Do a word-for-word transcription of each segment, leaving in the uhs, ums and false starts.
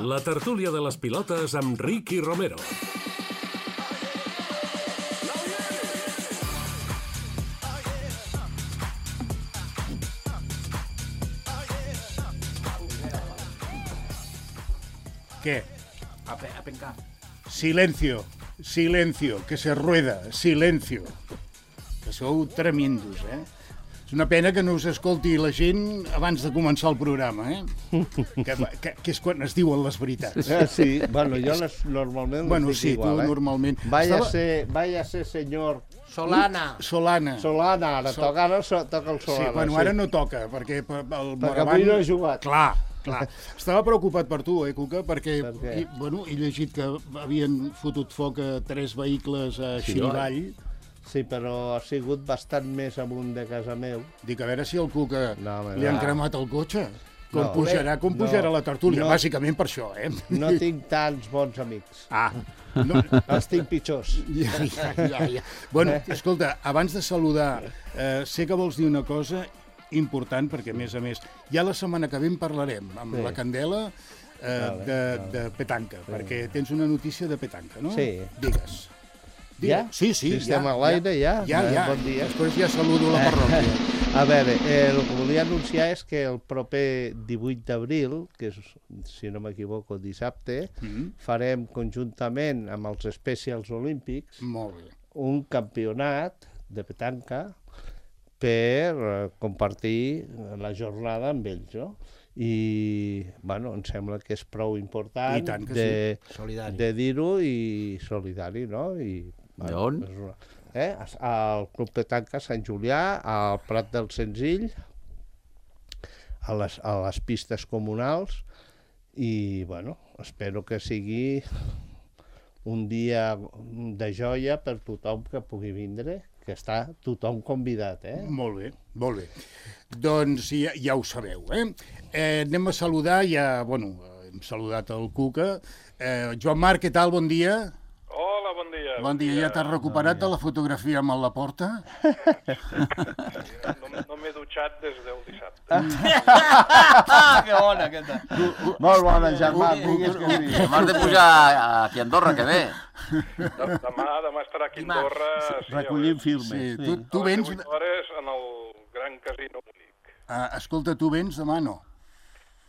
La tertúlia de les pilotes amb Ricky Romero. ¿Qué? A, pe a pencar. Silencio, silencio, que se rueda, silencio. Que sou tremendos, eh? És una pena que no us escolti la gent abans de començar el programa, eh? Que, que, que és quan es diuen les veritats. Eh, sí, bueno, jo les, normalment Bueno, les dic sí, igual, tu eh? normalment. Vaya, Estava... ser, vaya ser senyor... Solana. Solana. Solana, ara Sol... toca, ara so, toca el Solana. Sí, bueno, ara no toca, perquè el perquè avui no he jugat. Clar, clar. Estava preocupat per tu, eh, Cuca, perquè per i, bueno, he llegit que havien fotut foc a tres vehicles a Sí, Xirivall. Sí, però ha sigut bastant més amunt de casa meu. Dic, a veure si el Cuca No, home, li han no. cremat el cotxe. Com No. pujarà, com No. pujarà la tertúlia, No. bàsicament per això, eh? No tinc tants bons amics. Ah, no, Els tinc pitjors. ja, ja, ja, ja. Bueno, escolta, abans de saludar, eh, sé que vols dir una cosa important, perquè, a més a més, ja la setmana que ve en parlarem amb Sí. la Candela eh, Vale, de, vale. de petanca, perquè tens una notícia de petanca, no? Sí. Digues. Ja? Sí, sí, Si ja. estem a l'aire, ja? Ja, Eh, ja. bon dia. Després ja saludo la parròquia. A veure, eh, el que volia anunciar és que el proper divuit d'abril, que és, si no m'equivoco, dissabte, Mm, farem conjuntament amb els Specials Olímpics molt bé. un campionat de petanca per eh, compartir la jornada amb ells, no? I, bueno, em sembla que és prou important I tant que de, Solidari. de dir-ho i solidari, no? I, D'on? és una- Eh? Al Club Petanca Sant Julià, al Prat del Senzill, a les, a les pistes comunals, i, bueno, espero que sigui un dia de joia per tothom que pugui vindre, que està tothom convidat, eh? Molt bé, molt bé. Doncs ja, ja ho sabeu, eh? eh? Anem a saludar, ja, bueno, hem saludat el Cuca. Eh, Joan Marc, què tal? Bon dia. Hola, bon dia. Bon dia, ja t'has recuperat de la fotografia amb el Laporta? No, no m'he dutxat des del dissabte. Ah, que bona aquesta. Molt bona, Germà, digues que sí. M'has de pujar aquí a Andorra, que bé. De- Demà, demà estarà aquí a Dimarts. Andorra. Sí, Recollint a filmes. Sí, Sí. tu, tu les vens... divuit hores en el Gran Casino Munic. Ah, escolta, tu vens demà, no?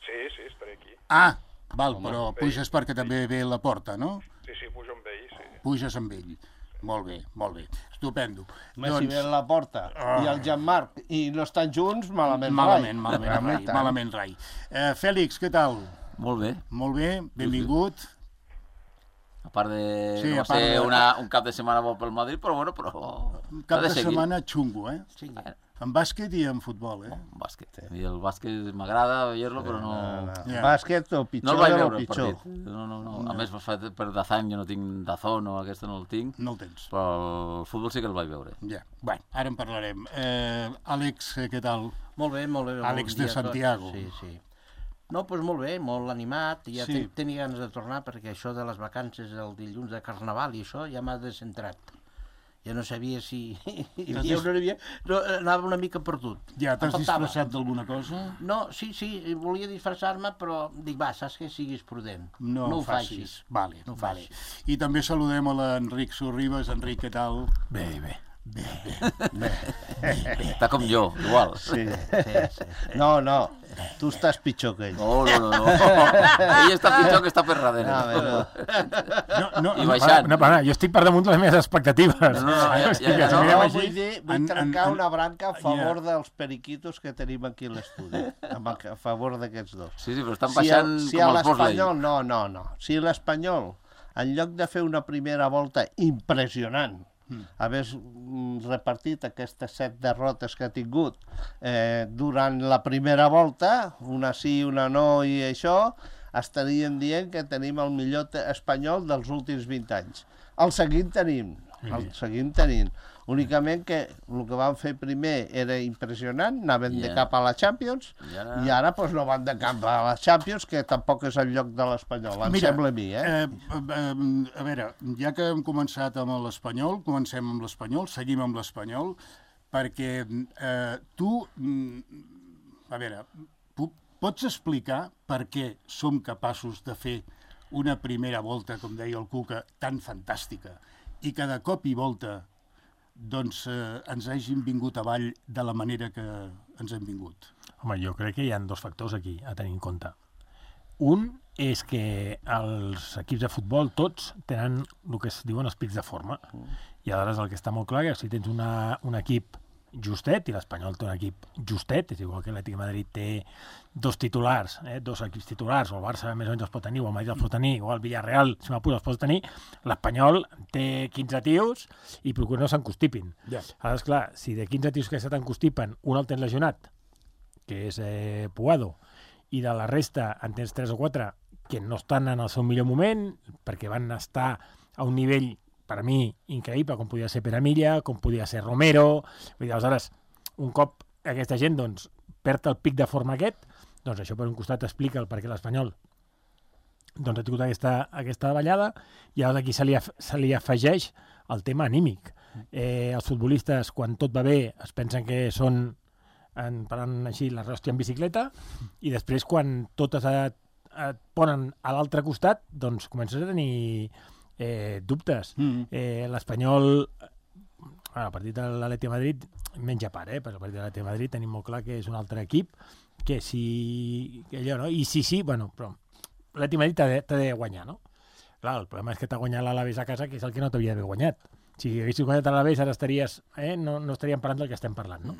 Sí, sí, estaré aquí. Ah, val, però bé. puges perquè també ve la porta, no? Sí, sí, pujo amb ell, sí. Puges amb ell. Molt bé, molt bé. Estupendo. Home, si ve a la porta i el Jean-Marc i no estan junts, malament, Malament, rai. malament, rai, tant. malament, rai. Eh, Fèlix, què tal? Molt bé. Molt bé, benvingut. A part de... Sí, no a va part ser de- una, un cap de setmana bo pel Madrid, però bueno, però... Un cap ha de seguir. setmana xungo, eh? Sí, eh, En bàsquet i en futbol, eh? un bàsquet. I el bàsquet m'agrada veure-lo, però no... No, no. Ja. Bàsquet, el No pitjor el vaig de lo veure, el pitjor. partit. No, no, no. A més, fa- per Dazan jo no tinc Dazón o aquesta no el tinc, No el tens. però el futbol sí que el vaig veure. Ja, bueno, ara en parlarem. Eh, Àlex, eh, què tal? Molt bé, molt bé. Àlex bon de dia a tots. Santiago. Sí, sí. No, doncs molt bé, molt animat. Ja Sí. sí. tenia ganes de tornar perquè això de les vacances el dilluns de Carnaval i això ja m'ha descentrat. Ja no sabia si hi havia o no hi havia... No, anava una mica perdut. Ja, t'has Em faltava. disfressat d'alguna cosa? No, sí, sí, volia disfressar-me, però dic, va, saps que siguis prudent. No, no ho ho facis. Vale, No ho vale. facis. I també saludem a l'Enric Sorribes. Enric, què tal? Bé, bé. Bé, bé. Està com jo, igual. Sí, sí, sí. No, no, tu estàs pitjor que ell. No, no, no. no. Ell està pitjor que està per darrere. No, bé, no. No, no, I no, baixant. No, no, jo estic per damunt de les meves expectatives. No, no, ja, O sigui ja, que ja, si no. mirem No, així- vull dir, vull en- trencar en- una branca a favor Ja. dels periquitos que tenim aquí a l'estudi, amb el- a favor d'aquests dos. Sí, sí, però estan Si, baixant el, si a com els Bosley. l'Espanyol, no, no, no. Si l'Espanyol, en lloc de fer una primera volta impressionant, Mm. hagués mm, repartit aquestes set derrotes que ha tingut eh, durant la primera volta, una sí, una no i això, estaríem dient que tenim el millor te- espanyol dels últims vint anys. El seguim tenint, el seguim tenint. Únicament que el que van fer primer era impressionant, anaven de Ja. cap a la Champions, I ara- i ara doncs, no van de cap a la Champions, que tampoc és el lloc de l'Espanyol, em sembla a mi, eh? eh, eh, a veure, ja que hem començat amb l'Espanyol, comencem amb l'Espanyol, seguim amb l'Espanyol, perquè eh, tu, mm, a veure, pu pots explicar per què som capaços de fer una primera volta, com deia el Cuca, tan fantàstica, i cada cop i volta doncs, eh, ens hagin vingut avall de la manera que ens hem vingut? Home, jo crec que hi ha dos factors aquí a tenir en compte. Un és que els equips de futbol tots tenen el que es diuen els pics de forma. I aleshores el que està molt clar és que si tens una, un equip justet, i l'Espanyol té un equip justet, és igual que l'Atlètic de Madrid té dos titulars, eh, dos equips titulars, o el Barça més o menys els pot tenir, o el Madrid els pot tenir, o el Villarreal, si m'apura, els pot tenir, l'Espanyol té quinze tios i procura no s'encostipin. Ja. Aleshores, clar, si de quinze tios que se t'encostipen, un el tens lesionat, que és eh, Puado, i de la resta en tens tres o quatre que no estan en el seu millor moment, perquè van estar a un nivell per a mi, increïble, com podia ser Pere Milla, com podia ser Romero. Vull dir, aleshores, un cop aquesta gent doncs, perd el pic de forma aquest, doncs això per un costat explica el perquè l'Espanyol doncs, ha tingut aquesta, aquesta davallada, i llavors aquí se li, se li afegeix el tema anímic. Eh, els futbolistes, quan tot va bé, es pensen que són, en, parlant així, la ròstia en bicicleta, i després, quan totes et, et ponen a l'altre costat, doncs comences a tenir Eh, dubtes. Mm. Eh, L'Espanyol, bueno, el partit de l'Atlètic de Madrid menja part, eh? Però el partit de l'Atlètic de Madrid tenim molt clar que és un altre equip, que si... Que allò, no? I sí, sí, bueno, però l'Atlètic de Madrid t'ha de, de guanyar, no? Clar, el problema és que t'ha guanyat l'Alavés a casa, que és el que no t'havia d'haver guanyat. Si haguessis guanyat l'Alavés, ara estaries... Eh? No, no estaríem parlant del que estem parlant, no?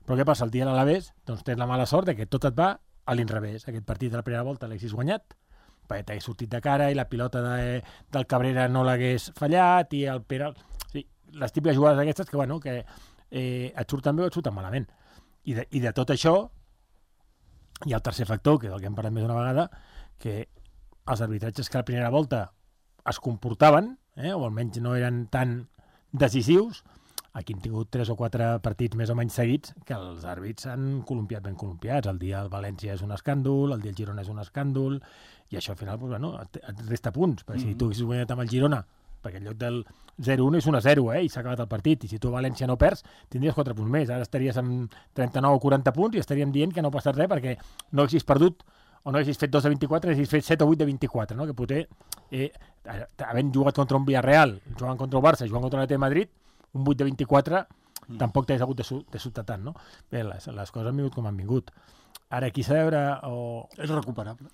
Però què passa? El dia de l'Alavés, doncs tens la mala sort de que tot et va a l'inrevés. Aquest partit de la primera volta l'haguessis guanyat, perquè t'hagués sortit de cara i la pilota de, del Cabrera no l'hagués fallat i el Pere... Sí, les típiques jugades aquestes que, bueno, que eh, et surten bé o et surten malament. I de, I de tot això hi ha el tercer factor, que és el que hem parlat més d'una vegada, que els arbitratges que a la primera volta es comportaven, eh, o almenys no eren tan decisius, aquí hem tingut tres o quatre partits més o menys seguits que els àrbits han columpiat ben columpiats. El dia del València és un escàndol, el dia del Girona és un escàndol, i això al final pues, bueno, et, et resta punts. Perquè mm-hmm. si tu haguessis guanyat amb el Girona, perquè en lloc del zero un és un a zero, eh, i s'ha acabat el partit, i si tu a València no perds, tindries quatre punts més. Ara estaries amb trenta-nou o quaranta punts i estaríem dient que no ha passat res perquè no haguessis perdut o no haguessis fet dos de vint-i-quatre, haguessis fet set o vuit de vint-i-quatre, no? Que potser, eh, havent jugat contra un Villarreal, jugant contra el Barça, jugant contra l'Atlètic de Madrid, un vuit de vint-i-quatre mm. tampoc t'hagués hagut de, su de sobtar tant, no? Bé, les, les coses han vingut com han vingut. Ara, aquí s'ha de veure... O... És recuperable.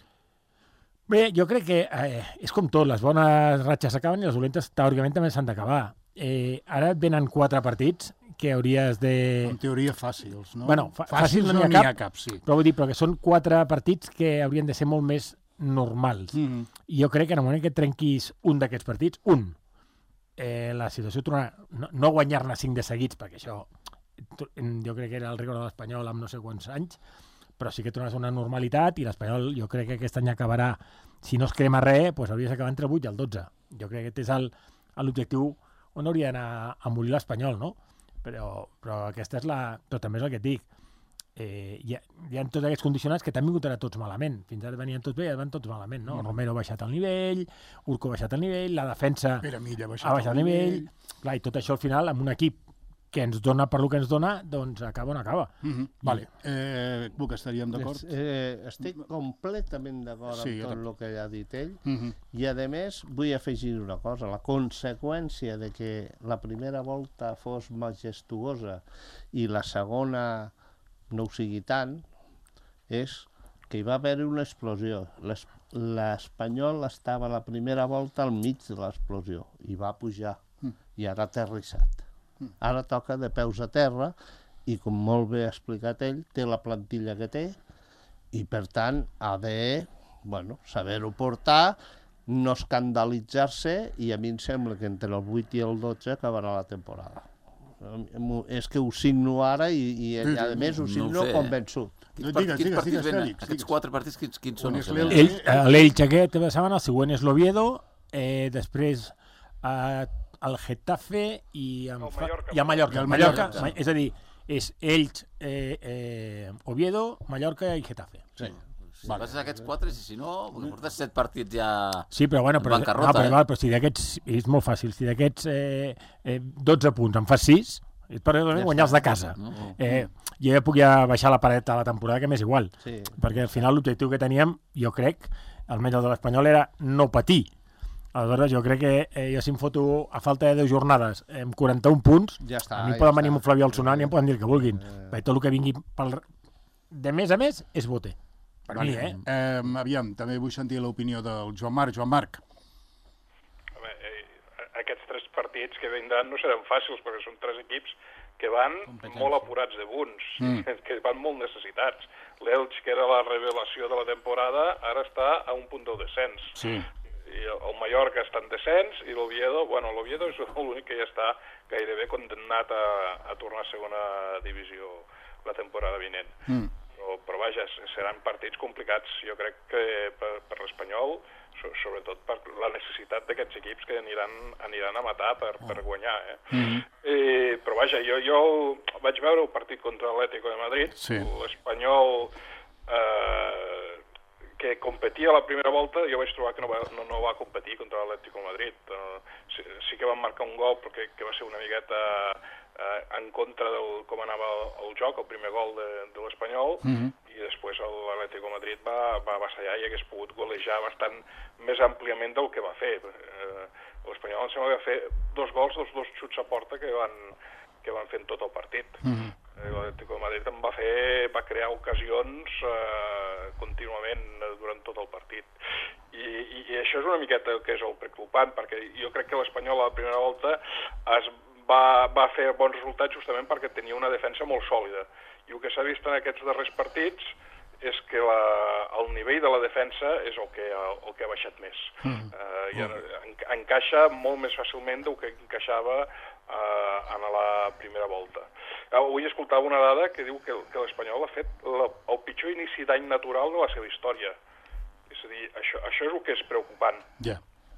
Bé, jo crec que eh, és com tot, les bones ratxes s'acaben i les dolentes teòricament també s'han d'acabar. Eh, ara et venen quatre partits que hauries de... En teoria fàcils, no? Bueno, fa fàcils no n'hi ha, ha cap, sí. Però vull dir, però que són quatre partits que haurien de ser molt més normals. Mm -hmm. I jo crec que en el moment que trenquis un d'aquests partits, un, Eh, la situació tornarà, no, no guanyar-ne cinc de seguits, perquè això jo crec que era el rècord de l'Espanyol amb no sé quants anys, però sí que tornarà a ser una normalitat i l'Espanyol jo crec que aquest any acabarà, si no es crema res, doncs hauria d'acabar entre el vuit i el dotze. Jo crec que aquest és l'objectiu on hauria d'anar a morir l'Espanyol, no? Però, però aquesta és la... Però també és el que et dic. Eh, hi, ha, hi ha tots aquests condicionants que t'han vingut ara tots malament. Fins ara venien tots bé i ara van tots malament, no? Mm. Romero ha baixat el nivell, Urco ha baixat el nivell, la defensa Pere Milla ha baixat, ha baixat el nivell. nivell. Clar, i tot això al final, amb un equip que ens dona per lo que ens dona, doncs acaba on acaba. Mm -hmm. Vale. Eh, Buc, estaríem d'acord? Eh, estic completament d'acord sí, amb tot el que ha dit ell, mm -hmm. i a més vull afegir una cosa. La conseqüència de que la primera volta fos majestuosa i la segona no ho sigui tant, és que hi va haver una explosió. L'Espanyol estava a la primera volta al mig de l'explosió i va pujar, mm. i ara ha aterrissat. Mm. Ara toca de peus a terra i, com molt bé ha explicat ell, té la plantilla que té i, per tant, ha de bueno, saber-ho portar, no escandalitzar-se, i a mi em sembla que entre el vuit i el dotze acabarà la temporada. És que ho signo ara i, i a més ho signo no ho sé, convençut. Quins, part, quins partits digues, venen? Digues. Aquests quatre partits, quins, quins són? L'Elx aquest de setmana, el següent és l'Oviedo, eh, després eh, el Getafe i, amb, el Mallorca, i a Mallorca. El Mallorca, Mallorca Mallorca és a dir, és Elx, eh, eh, Oviedo, Mallorca i Getafe. Sí. Si vale. Passes aquests quatre, i si no, perquè portes set partits ja sí, però, bueno, però, bancarrota. No, però, eh? val, però si d'aquests, és molt fàcil, si d'aquests eh, eh, dotze punts en fas sis, És per Ja guanyar els de està. casa. No? Eh, jo ja puc ja baixar la paret a la temporada, que m'és igual. Sí. Perquè al final l'objectiu que teníem, jo crec, almenys el de l'Espanyol, era no patir. Aleshores, jo crec que eh, jo si em foto a falta de deu jornades amb quaranta-un punts, Ja està, a mi ja poden venir està. amb un Flavià al Sonant i em poden dir el que vulguin. Eh... Tot el que vingui pel... de més a més és bote. Per mi, eh? Eh, aviam, també vull sentir l'opinió del Joan Marc. Joan Marc. Home, eh, aquests tres partits que vindran no seran fàcils, perquè són tres equips que van molt apurats de punts, mm. que van molt necessitats. L'Elx, que era la revelació de la temporada, ara està a un punt del descens. Sí. I el Mallorca està en descens, i l'Oviedo, bueno, l'Oviedo és l'únic que ja està gairebé condemnat a, a tornar a segona divisió la temporada vinent. Mm. Però, però vaja, seran partits complicats, jo crec que per, per l'Espanyol, so, sobretot per la necessitat d'aquests equips que aniran, aniran a matar per, per guanyar. Eh? Mm-hmm. I, però vaja, jo, jo vaig veure el partit contra l'Atlético de Madrid, sí. l'Espanyol eh, que competia a la primera volta, jo vaig trobar que no va, no, no va competir contra l'Atlético de Madrid. Uh, sí, sí que van marcar un gol, però que, que va ser una miqueta uh, en contra del com anava el, el joc, el primer gol de, de l'Espanyol, mm-hmm. i després l'Atlético de Madrid va, va avassallar i hagués pogut golejar bastant més àmpliament del que va fer. Uh, L'Espanyol em sembla que va fer dos gols, dos, dos xuts a porta que van, que van fent tot el partit. Mm-hmm. L'Atlético de Madrid em va fer, va crear ocasions eh, contínuament durant tot el partit. I, i, I això és una miqueta el que és el preocupant, perquè jo crec que l'Espanyol a la primera volta es va, va fer bons resultats justament perquè tenia una defensa molt sòlida. I el que s'ha vist en aquests darrers partits és que la, el nivell de la defensa és el que, el que ha baixat més. Mm. Eh, i en, encaixa molt més fàcilment del que encaixava eh, en la primera volta. Avui escoltava una dada que diu que, que l'Espanyol ha fet la, el pitjor inici d'any natural de la seva història. És a dir, això, això és el que és preocupant. Yeah.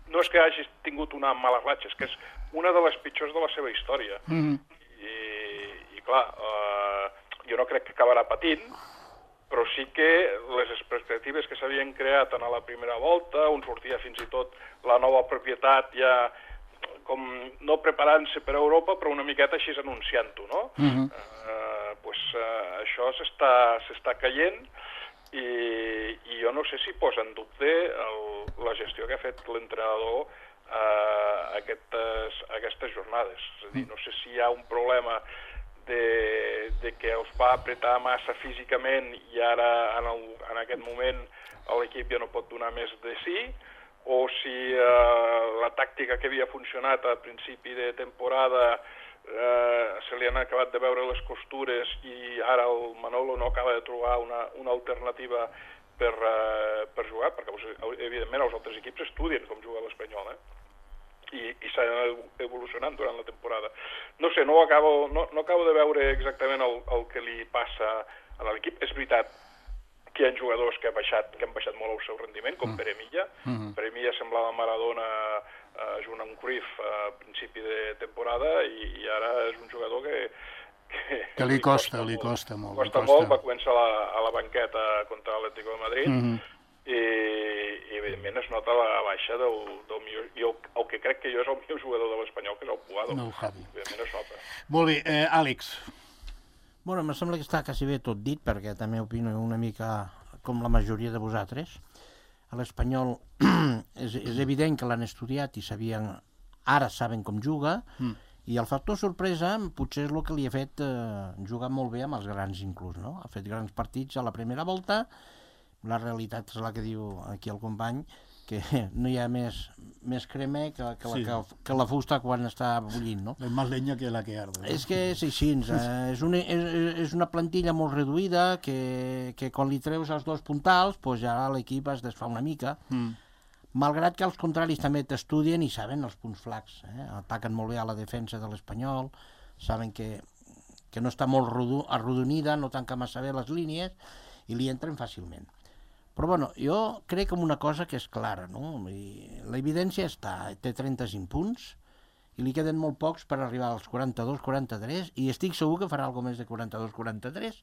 No és que hagi tingut una mala ratxa, és que és una de les pitjors de la seva història. Mm-hmm. I, i clar, eh, jo no crec que acabarà patint, però sí que les expectatives que s'havien creat en la primera volta, on sortia fins i tot la nova propietat ja com no preparant-se per a Europa, però una miqueta així anunciant-ho, no? Uh-huh. uh, pues, uh, això s'està caient i, i jo no sé si posa en dubte el, la gestió que ha fet l'entrenador uh, aquestes, aquestes jornades. És a dir, no sé si hi ha un problema de, de que els va apretar massa físicament i ara, en, el, en aquest moment, l'equip ja no pot donar més de sí, o si eh, la tàctica que havia funcionat a principi de temporada eh, se li han acabat de veure les costures i ara el Manolo no acaba de trobar una, una alternativa per, eh, per jugar, perquè evidentment els altres equips estudien com juga l'Espanyol, eh? i, i s'han evolucionant durant la temporada. No sé, no, acabo, no, no acabo de veure exactament el, el que li passa a l'equip. És veritat que hi ha jugadors que, ha baixat, que han baixat molt el seu rendiment, com mm. Pere Milla. Mm-hmm. Pere Milla semblava Maradona eh, junt amb Cruyff a principi de temporada i, i ara és un jugador que... Que, que li costa, li costa molt. Costa, costa molt, va començar a la, a la banqueta contra l'Atlético de Madrid mm-hmm. i, i evidentment es nota la baixa del, del millor... Jo, el que crec que jo és el millor jugador de l'Espanyol, que és el Puado. No, Javi. Evidentment es nota. Molt bé, eh, Àlex. Bueno, em sembla que està quasi bé tot dit, perquè també opino una mica com la majoria de vosaltres. A l'Espanyol és, és evident que l'han estudiat i sabien, ara saben com juga, mm. i el factor sorpresa potser és el que li ha fet eh, jugar molt bé amb els grans inclús, no? Ha fet grans partits a la primera volta, la realitat és la que diu aquí el company, que no hi ha més, més crema que, que, la, sí. que, que la fusta quan està bullint, no? És més llenya que la que arde. No? És que és així, eh? és, una, és, és una plantilla molt reduïda que, que quan li treus els dos puntals pues ja l'equip es desfà una mica, mm. malgrat que els contraris també t'estudien i saben els punts flacs, eh? Ataquen molt bé a la defensa de l'Espanyol, saben que, que no està molt arrodonida, no tanca massa bé les línies i li entren fàcilment. Però bueno, jo crec en una cosa que és clara, no? L'evidència està, té trenta-cinc punts i li queden molt pocs per arribar als quaranta-dos quaranta-tres i estic segur que farà alguna més de quaranta-dos quaranta-tres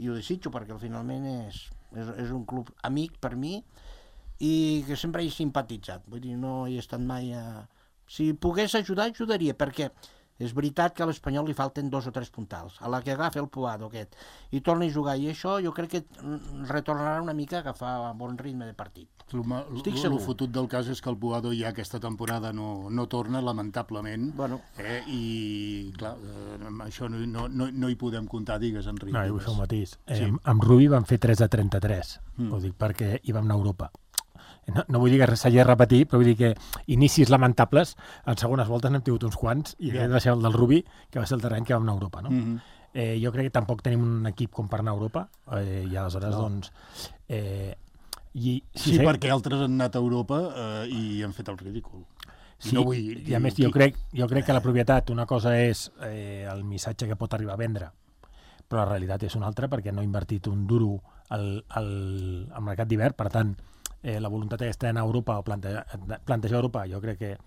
i ho desitjo perquè finalment és, és, és un club amic per mi i que sempre he simpatitzat, vull dir, no he estat mai a... Si pogués ajudar, ajudaria, perquè És veritat que a l'Espanyol li falten dos o tres puntals. A la que agafa el Puado aquest i torna a jugar, i això jo crec que retornarà una mica a agafar bon ritme de partit. Estic El segur. fotut del cas és que el Puado ja aquesta temporada no, no torna, lamentablement, Bueno. eh, i clar, eh, amb això no, no, no, no hi podem comptar, digues, Enric. No, hi vull fer un matís. Eh, Sí. Amb Rubi van fer tres de trenta-tres, Mm. ho dic perquè hi vam anar a Europa. No, no vull dir que s'hagi de repetir, però vull dir que inicis lamentables, en segones voltes n'hem tingut uns quants, i Ja. aquest va ser el del Rubi, que va ser el terreny que vam anar a Europa, no? Mhm. Eh, jo crec que tampoc tenim un equip com per anar a Europa, eh, i aleshores, No. doncs... Eh, i, Sí, sí, perquè altres han anat a Europa eh, i han fet el ridícul. Sí, no vull i dir a més qui- jo crec, jo crec que la propietat, una cosa és eh, el missatge que pot arribar a vendre, però la realitat és una altra perquè no ha invertit un duro al, al, al mercat d'hivern, per tant, eh, la voluntat aquesta d'anar a Europa o plantejar, plantejar Europa, jo crec que...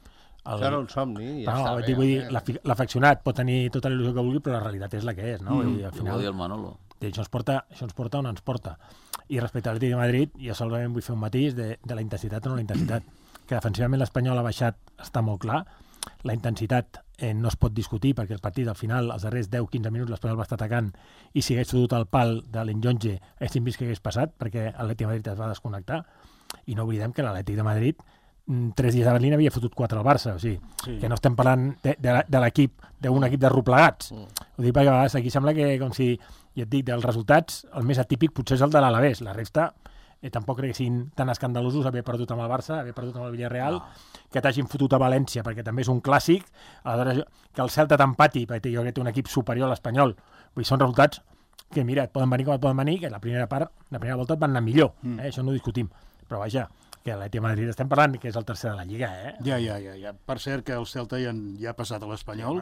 El, Això era un somni, ja no, està vull bé. dir, vull dir, eh? l'afi- l'afeccionat pot tenir tota la il·lusió que vulgui, però la realitat és la que és, no? Mm. I al Ho final, va dir el Manolo. I això ens porta, això ens porta on ens porta. I respecte a l'Atlètic de Madrid, jo solament vull fer un matís de, de la intensitat o no la intensitat. Que defensivament l'Espanyol ha baixat, està molt clar. La intensitat eh, no es pot discutir perquè el partit, al final, els darrers deu quinze minuts, l'Espanyol va estar atacant i si hagués fotut el pal de l'Enjonge, haguéssim vist què hagués passat perquè l'Atlètic de Madrid es va desconnectar. I no oblidem que l'Atlètic de Madrid mm, tres dies a Berlín havia fotut quatre al Barça, o sigui, Sí. que no estem parlant de, de, de l'equip, d'un equip de replegats. Mm. Ho dic perquè a vegades aquí sembla que, com si, ja et dic, dels resultats, el més atípic potser és el de l'Alavés, la resta eh, tampoc crec que siguin tan escandalosos haver perdut amb el Barça, haver perdut amb el Villarreal, no. que t'hagin fotut a València, perquè també és un clàssic, aleshores que el Celta t'empati, perquè jo crec que té un equip superior a l'Espanyol, vull dir, són resultats que, mira, et poden venir com et poden venir, que la primera part, la primera volta et van anar millor, eh? mm. això no ho discutim, però vaja, que l'Atlètic de Madrid estem parlant que és el tercer de la Lliga, eh? Ja, ja, ja, ja. Per cert que el Celta ja, ja ha passat a l'Espanyol,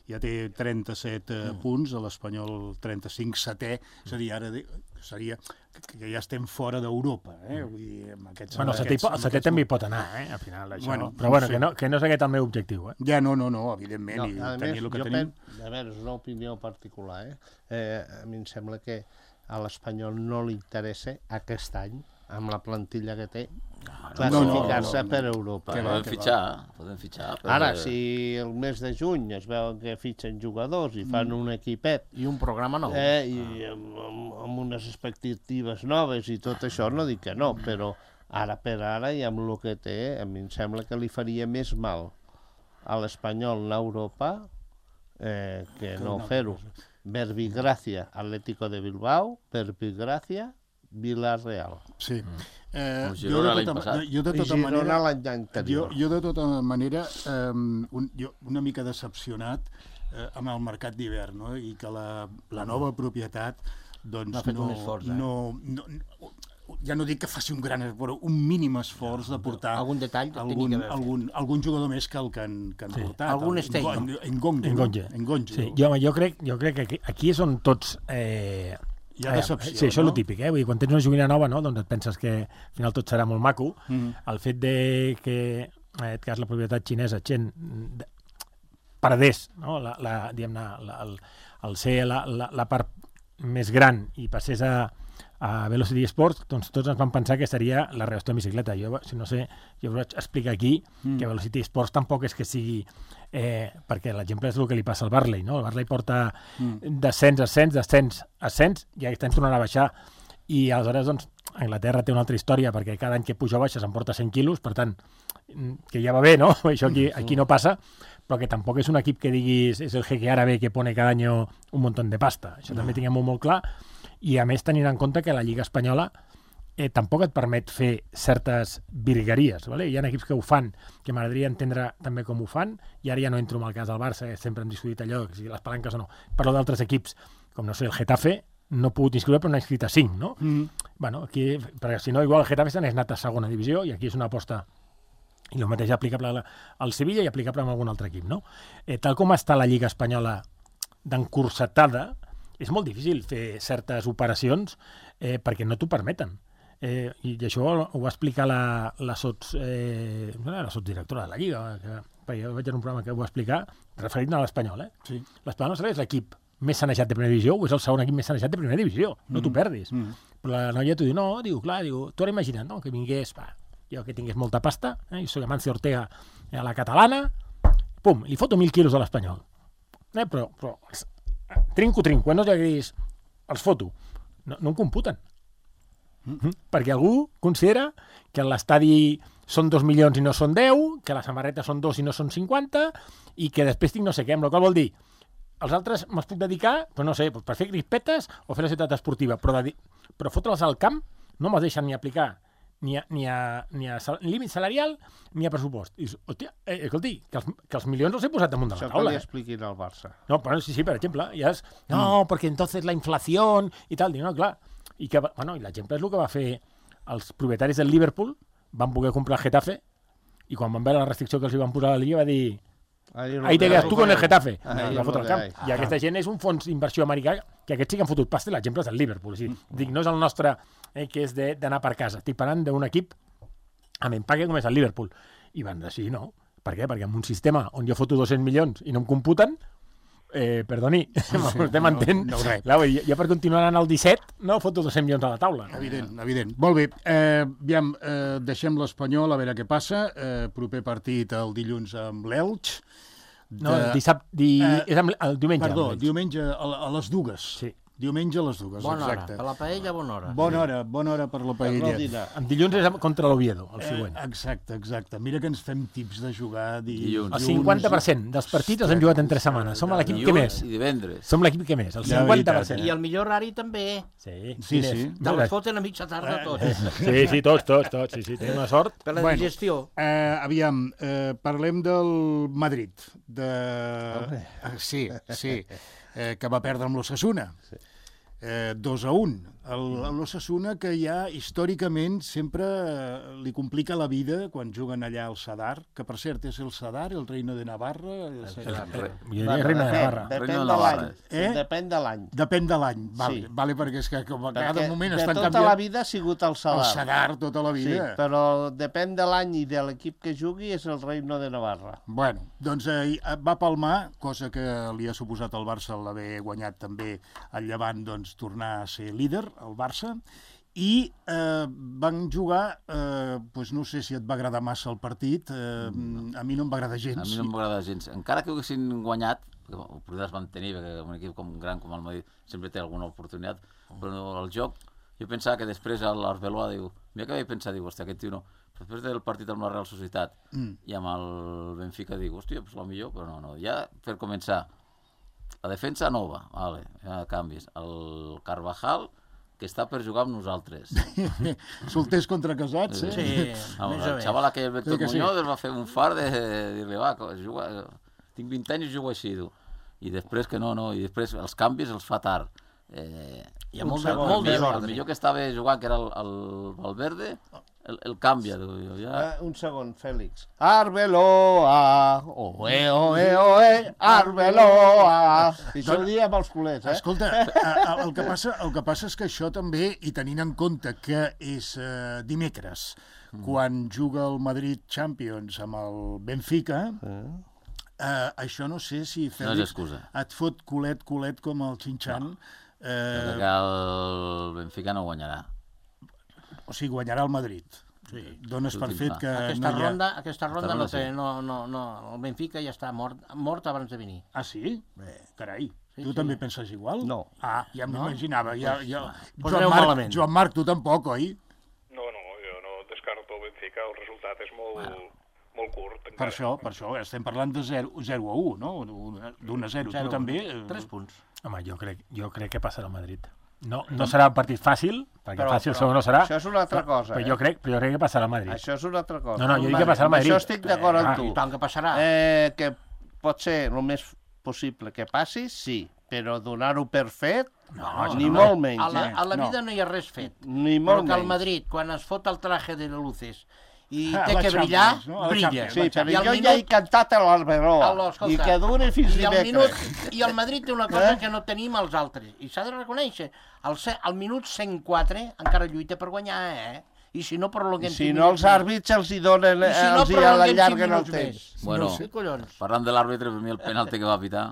ja té trenta-set eh, mm. punts, a l'Espanyol trenta-cinc, setè, és a dir, ara de, seria que, que ja estem fora d'Europa, eh? Vull dir, amb aquests... Bueno, el setè, aquests, el setè aquests... també hi pot anar, eh? Al final, això. Bueno, Però bueno, sí. que no, que no és aquest el meu objectiu, eh? Ja, no, no, no, evidentment, No, i a tenir més, el que jo tenim... pen... a veure, és una opinió particular, eh? eh? A mi em sembla que a l'Espanyol no li interessa aquest any, amb la plantilla que té, classificar-se no, no, no. per Europa. Que eh? va, Podem fitxar, podem fitxar. però- Ara, si el mes de juny es veuen que fitxen jugadors i fan un equipet I un programa nou. eh, i amb, amb, amb unes expectatives noves i tot això, no dic que no, però ara per ara i amb el que té, a mi em sembla que li faria més mal a l'Espanyol anar a Europa eh, que no fer-ho. Verbigracia, Atlético de Bilbao, Verbigracia, Villarreal. Sí. Eh, El jo, Girona de l'any tota, passat. jo de I tota Girona manera... l'any Jo, anterior. jo de tota manera, eh, un, jo una mica decepcionat eh, amb el mercat d'hivern, no? I que la, la nova propietat doncs, N'ha fet no, un esforç, eh? no, no, no, ja no dic que faci un gran esforç, un mínim esforç de portar Algun detall tenia algun, que haver fet. algun, algun jugador més que el que han, que han Sí. portat. Algun El- Stegen. En- Engonge. no? Engonge. Engonge. Sí, jo, jo, crec, jo crec que aquí, aquí és on tots... Eh, Hi ha eh, decepció, Sí, això és no? el típic, eh? Vull dir, quan tens una joguina nova, no? Doncs et penses que al final tot serà molt maco. Mm. El fet de que, en aquest cas, la propietat xinesa, Chen, de- perdés, no? la, la, diguem-ne, la, el, el ser la, la, la part més gran i passés a, a Velocity Sports, doncs tots ens vam pensar que seria la reacció de bicicleta. Jo, si no sé, jo us vaig explicar aquí mm. que Velocity Sports tampoc és que sigui... Eh, perquè l'exemple és el que li passa al Barley, no? El Barley porta mm. descens, ascens, descens, ascens, i aquest any tornarà a baixar. I aleshores, doncs, Anglaterra té una altra història, perquè cada any que puja o baixa s'emporta cent quilos, per tant, que ja va bé, no? Això aquí, aquí no passa, però que tampoc és un equip que diguis és el jeque árabe que pone cada any un munt de pasta. Això no. També tinguem-ho molt clar. I a més tenint en compte que la Lliga Espanyola eh, tampoc et permet fer certes virgueries. ¿vale? Hi ha equips que ho fan, que m'agradaria entendre també com ho fan, i ara ja no entro en el cas del Barça, que sempre hem discutit allò, si les palanques o no. Parlo d'altres equips, com no sé, el Getafe, no he pogut inscriure, però n'ha inscrit a cinc, no? Mm. Bueno, aquí, perquè si no, igual el Getafe s'ha anat a segona divisió, i aquí és una aposta i el mateix aplicable al Sevilla i aplicable a algun altre equip, no? Eh, tal com està la Lliga Espanyola d'encursetada, és molt difícil fer certes operacions eh, perquè no t'ho permeten. Eh, I això ho va explicar la, la, sots, eh, la sotsdirectora de la Lliga, que, perquè jo vaig en un programa que ho va explicar, referint a l'Espanyol. Eh? Sí. L'Espanyol no és l'equip més sanejat de primera divisió o és el segon equip més sanejat de primera divisió. No mm. t'ho perdis. Mm. Però la noia t'ho diu, no, diu, clar, diu, tu ara imagina't, no?, que vingués, va, jo que tingués molta pasta, eh, jo soc Amancio Ortega a la catalana, pum, li foto mil quilos a l'Espanyol. Eh, però, però trinco, trinco, quan no t'agradis, els foto. No, no em computen. Mm. Perquè algú considera que l'estadi són dos milions i no són deu, que la samarreta són dos i no són cinquanta, i que després tinc no sé què, amb la qual vol dir, els altres me'ls puc dedicar, però no sé, per fer crispetes o fer la ciutat esportiva, però, de, però fotre'ls al camp no me'ls deixen ni aplicar ni a, ni a, ni a sal, límit salarial ni a pressupost. I, hòstia, eh, escolti, que els, que els milions els he posat damunt de la Això taula. que li Eh? expliquin al Barça. No, però sí, sí, per exemple, ja és, no, mm. perquè entonces la inflació i tal, dic, no, clar, i que, bueno, i l'exemple és el que va fer els propietaris del Liverpool, van poder comprar el Getafe, i quan van veure la restricció que els hi van posar a la Lliga va dir, ahí te quedas tu con el Getafe. Ahí Va fotre al camp. hay. I aquesta gent és un fons d'inversió americà que aquests sí que han fotut pasta, l'exemple és del Liverpool. O sigui, dic, no és el nostre, eh, que és de- d'anar per casa. Estic parlant d'un equip amb empaque com és el Liverpool. I van decidir no. Per què? Perquè en un sistema on jo foto dos-cents milions i no em computen, eh, perdoni, vostè m'entén? no, res. Clar, jo, jo per continuar anant al disset no foto dos-cents milions a la taula. Evident, evident. Molt bé, eh, aviam, eh, deixem l'Espanyol a veure què passa. Eh, proper partit el dilluns amb l'Elx. No, el dissabte, di... Eh, és amb, el diumenge. Perdó, amb ells. diumenge a, a les dues. Sí. Diumenge a les dues, Bona hora. exacte. Per la paella, bona hora. Bona hora, bona hora per la Per no paella. dinar. En dilluns és amb- contra l'Oviedo, el Eh, següent. exacte, exacte. Mira que ens fem tips de jugar di... Dilluns. El cinquanta per cent dels partits els hem jugat en tres setmanes. Som l'equip que més. I divendres. Som l'equip que més, el La cinquanta per veritat, cent. I el millor horari també. Sí, Sí, quin és? sí. Te les foten a mitja tarda tots. Sí, sí, tots, tots, tots. Sí, sí, tenim una sort. Per la Bueno. digestió. Eh, aviam, eh, parlem del Madrid. De... Eh, sí, sí, eh, que va perdre amb l'Osasuna. Eh, dos a un. L'Osasuna que ja històricament sempre eh, li complica la vida quan juguen allà al Sadar, que per cert és el Sadar, el reino de Navarra. El Sadar. Re- Jo diria Reina de Navarra. Depèn Reina de de Navarra. l'any. Eh? Depèn de l'any. Depèn de l'any, vale, Sí. vale, perquè és que com a cada Perquè moment de estan tota canviant la vida ha sigut el el Sadar. Sadar tota la Sí, vida. però depèn de l'any i de l'equip que jugui és el Reino de Navarra. Bueno, doncs eh, va palmar, cosa que li ha suposat al Barça l'haver guanyat també el Llevant, doncs tornar a ser líder, el Barça, i eh, van jugar, eh, doncs no sé si et va agradar massa el partit, eh, a mi no em va agradar gens. A mi no m'agrada gens. Encara que ho haguessin guanyat, perquè oportunitats es van tenir, perquè un equip com gran com el Madrid sempre té alguna oportunitat, però el joc, jo pensava que després l'Arbeloa diu, mira que vaig pensar, diu, hòstia, aquest tio no. Després del partit amb la Real Societat Mm. i amb el Benfica dic, hòstia, pues, millor, però no, no. Ja per començar, la defensa nova, vale, ja canvis. El Carvajal, que està per jugar amb nosaltres. Solters contra casats, eh? Sí, Amb més o el menys. xaval aquell, el Beto Sí que sí. Muñoz, es va fer un far de dir-li, va, juga, tinc vint anys i jugo així, tu. I després que no, no, i després els canvis els fa tard. Eh, Hi ha molt, de, segon, molt el, millor, el desordre. millor que estava jugant, que era el, el Valverde, el, el canvia. Tu, jo, ja... Eh, un segon, Fèlix. Arbeloa, oe, oe, oe, Arbeloa. I això ho diem els culers, eh? Escolta, a- a- el que, passa, el que passa és que això també, i tenint en compte que és eh, dimecres, quan juga el Madrid Champions amb el Benfica, eh, això no sé si No és Fèlix excusa. et fot culet, culet com el Xinxan, Eh... eh, Que el Benfica no guanyarà. o sigui, guanyarà el Madrid. Sí. Dones per L'últim fet fa. que Aquesta no hi ha... ronda, aquesta ronda ronda no té, sí. no, no, no, el Benfica ja està mort, mort abans de venir. Ah, sí? Bé, carai. Sí, tu sí. també penses igual? No. Ah, ja m'imaginava. Ja, ja... Pues Joan, aneu Marc, malament. Joan Marc, tu tampoc, oi? No, no, jo no descarto el Benfica, el resultat és molt, molt curt. Per Encara. això, per això, estem parlant de zero a u, no? D'un a zero. Tu també... eh, Tres punts. Home, jo crec, jo crec que passarà el Madrid. No, no serà un partit fàcil, perquè Però- fàcil però segur no serà. això és una altra però, cosa, Però eh? jo crec, però jo crec que passarà el Madrid. Això és una altra cosa. No, no, jo dic que passarà al Madrid. Això estic d'acord Ah, amb tu. I tant que passarà. Eh, que pot ser el més possible que passi, sí, però donar-ho per fet, No, ni no, molt A menys, la, eh? a la No. vida no hi ha res fet. Ni Però molt que el menys. Madrid, quan es fot el traje de luces i Ah, té la que brillar, Champions, no? La brilla. Champions, Sí, però I al jo minut- ja he cantat a l'Alberoa, Alò, escolta, i que duri fins I el, dimecres. minut, I el Madrid té una cosa Eh? que no tenim els altres, i s'ha de reconèixer. Al, ce- al minut cent quatre encara lluita per guanyar, eh? I si no prolonguem... I si cinc no, els minuts àrbits els hi donen, més. I si no els hi prolonguem cinc allarguen el minuts temps. més. Bueno, Sí, collons. parlant de l'àrbitre, per mi el penalti que va pitar...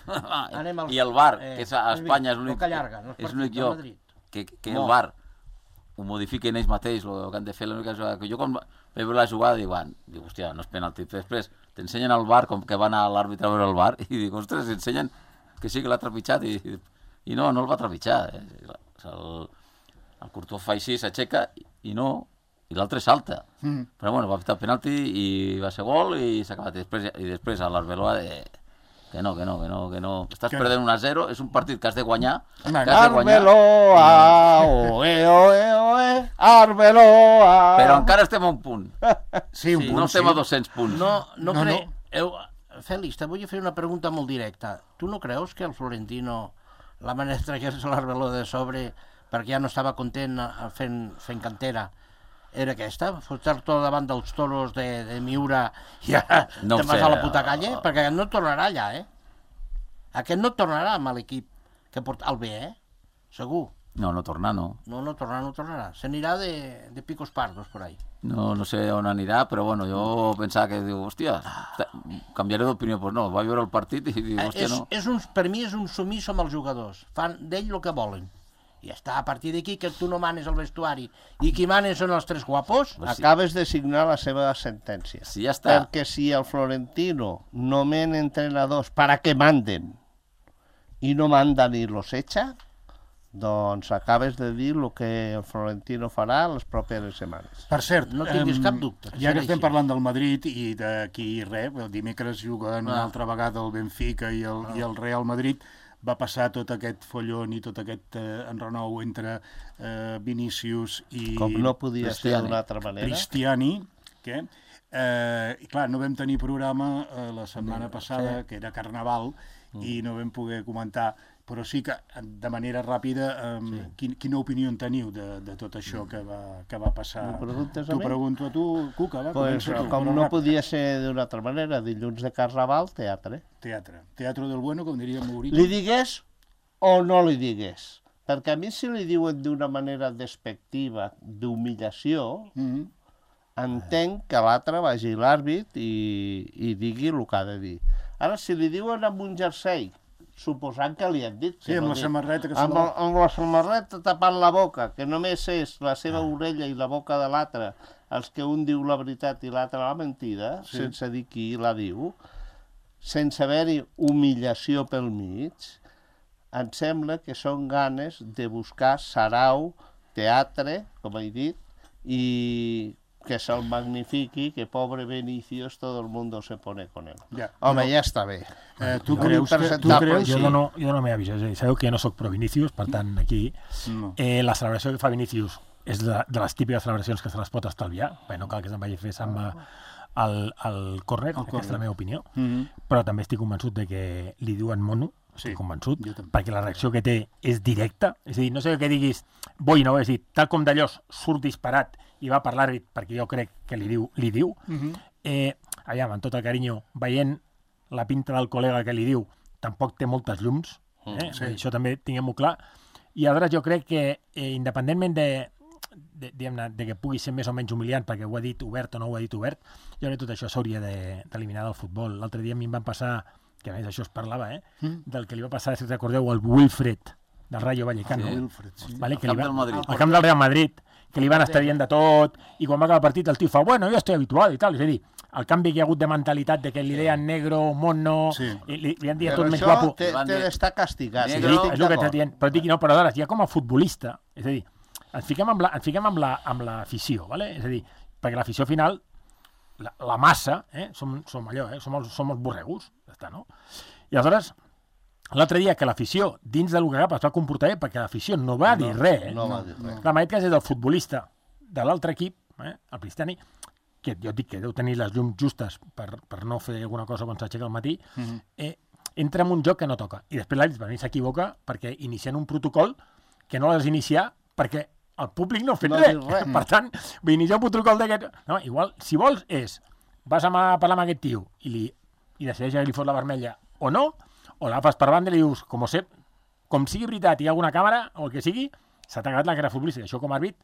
Anem al- I el VAR, eh, que és a has vist? Espanya és El l'únic que allarga, no és és partit l'únic del lloc Madrid. que, que No. el VAR ho modifiquen ells mateix, el que han de fer l'única jugada que jo quan vaig veure la jugada dic, bueno, dic, hòstia, no és penalti. Després t'ensenyen al bar, com que va anar l'àrbitre a veure el bar, i dic, ostres, ensenyen que sí que l'ha trepitjat, i, i no, no el va trepitjar. Eh? El, el Courtois fa així, s'aixeca, i no, i l'altre salta. Mm. Però bueno, va pitar el penalti i va ser gol i s'ha acabat. I després, i després a l'Arbeloa de... Que no, que no, que no, que no. Estàs que... perdent un a zero, és un partit que has de guanyar. Arbeloa, oe, oe, oe, Arbeloa. Però encara estem a un punt. Sí, un sí, punt, no estem sí. a dos-cents punts. No, no, No, cre... no. Eu... Fèlix, te vull fer una pregunta molt directa. Tu no creus que el Florentino, la manera de treure-se l'Arbeloa de sobre, perquè ja no estava content fent, fent cantera, era aquesta? Fotre-te davant dels toros de, de Miura i ara No te'n vas sé, a la puta uh, calle? Perquè no tornarà allà, eh? Aquest no tornarà amb l'equip que porta el B, eh? Segur. No, no tornar, no. No, no tornarà, no tornarà. Se n'irà de, de picos pardos, por ahí. No, no sé on anirà, però bueno, jo pensava que, diu, hòstia, canviaré d'opinió. Doncs pues no, va veure el partit i diu, hòstia, és, no. és un, per mi és un sumís amb els jugadors. Fan d'ell el que volen. I ja està, a partir d'aquí que tu no manes el vestuari i qui manes són els tres guapos. Pues sí. Acabes de signar la seva sentència. Sí, ja està. Perquè si el Florentino nomen entrenadors para que manden i no mandan i los echa, doncs acabes de dir el que el Florentino farà les properes setmanes. Per cert, No tinguis em, cap dubte, que ja serà que estem així. parlant del Madrid i d'aquí res, el dimecres juguen una Ah. altra vegada el Benfica i el, i el Real Madrid, va passar tot aquest follon i tot aquest eh, enrenou entre eh, Vinícius i Com no podia ser Cristiani. d'una altra manera. Cristiani, que, eh, i clar, no vam tenir programa eh, la setmana passada, que era Carnaval, i no vam poder comentar, però sí que de manera ràpida, eh, sí. quin, quina opinió en teniu de, de tot això que va, que va passar? M'ho preguntes a T'ho mi? pregunto a tu, Cuca, va, Pues, comença tu. com però no ràpid. podia ser d'una altra manera, dilluns de Carnaval, teatre. Teatre. Teatro del bueno, com diria Mauricio. Li digués o no li digués? Perquè a mi si li diuen d'una manera despectiva, d'humillació, Mm -hmm. entenc que l'altre vagi l'àrbit i, i digui el que ha de dir. Ara, si li diuen amb un jersei, suposant que li han dit... Sí, que amb no la dit, samarreta que se amb, la- el- amb la samarreta tapant la boca, que només és la seva orella i la boca de l'altre els que un diu la veritat i l'altre la mentida, Sí. sense dir qui la diu, sense haver-hi humiliació pel mig, em sembla que són ganes de buscar sarau, teatre, com he dit, i que se'l magnifiqui, que pobre Benicius, todo el mundo se pone con él. Ja, Home, però, ja està bé. eh, tu No, creus que... Tu impresentable, creus... Jo sí. dono, jo dono la meva visió, és a dir, sabeu que jo no sóc pro Vinícius, per tant, aquí No. eh, la celebració que fa Vinícius és de, de les típiques celebracions que se les pot estalviar, perquè no cal que se'n vagi a fer samba al, al córner, aquesta és la meva opinió, Mm -hmm. però també estic convençut de que li diuen mono, estic Sí, convençut, jo també. perquè la reacció que té és directa, és a dir, no sé que diguis boi no, és a dir, tal com d'allòs surt disparat i va per l'àrbit, perquè jo crec que li diu, li diu, Mm -hmm. eh, allà, amb tot el carinyo, veient la pinta del col·lega que li diu, tampoc té moltes llums, eh? sí. Això també tinguem-ho clar, i aleshores jo crec que, eh, independentment de, de, diguem-ne, de que pugui ser més o menys humiliant, perquè ho ha dit obert o no ho ha dit obert, jo crec que tot això s'hauria de- d'eliminar del futbol. L'altre dia a mi em van passar, que a més això es parlava, eh, Mm. del que li va passar, si recordeu, al Wilfred, del Rayo Vallecano, Sí. Wilfred, sí. vale, Al que camp li va, del Madrid. al camp del Real Madrid, que li van estar dient de tot, i quan va acabar el partit el tio fa, bueno, jo estic habitual i tal, és a dir, el canvi que hi ha hagut de mentalitat de que li deien negro, mono, Sí. i li, li han dit Però tot menys això guapo. té, té d'estar castigat. Sí, Sí, jo Negro, estic és el que d'acord. t'estic dient. Però, dic, no, però aleshores, ja com a futbolista, és a dir, ens fiquem amb la, ens fiquem amb la, amb l'afició, ¿vale? És a dir, perquè l'afició final, la, la massa, eh, som, som allò, eh, som, els, som els borregos, ja està, no? I aleshores, l'altre dia que l'afició, dins del que cap, es va comportar bé, perquè l'afició no va dir res, eh? No va dir res. Clar, en aquest cas és del futbolista de l'altre equip, eh, el Cristiani, que jo dic que deu tenir les llums justes per, per no fer alguna cosa quan s'aixeca al matí, Mhm. eh, entra en un joc que no toca. I després l'àrbit per mi s'equivoca perquè inicien un protocol que no l'has d'iniciar perquè el públic no ha fet No ha res. dit res. Per tant, vull iniciar un protocol d'aquest... No, igual, si vols, és vas a mà- parlar amb aquest tio i, li, i decideix que li fot la vermella o no, o l'agafes per banda i li dius, com sé, com sigui veritat i hi ha alguna càmera o el que sigui, s'ha tagat la cara futbolista. Això com a àrbit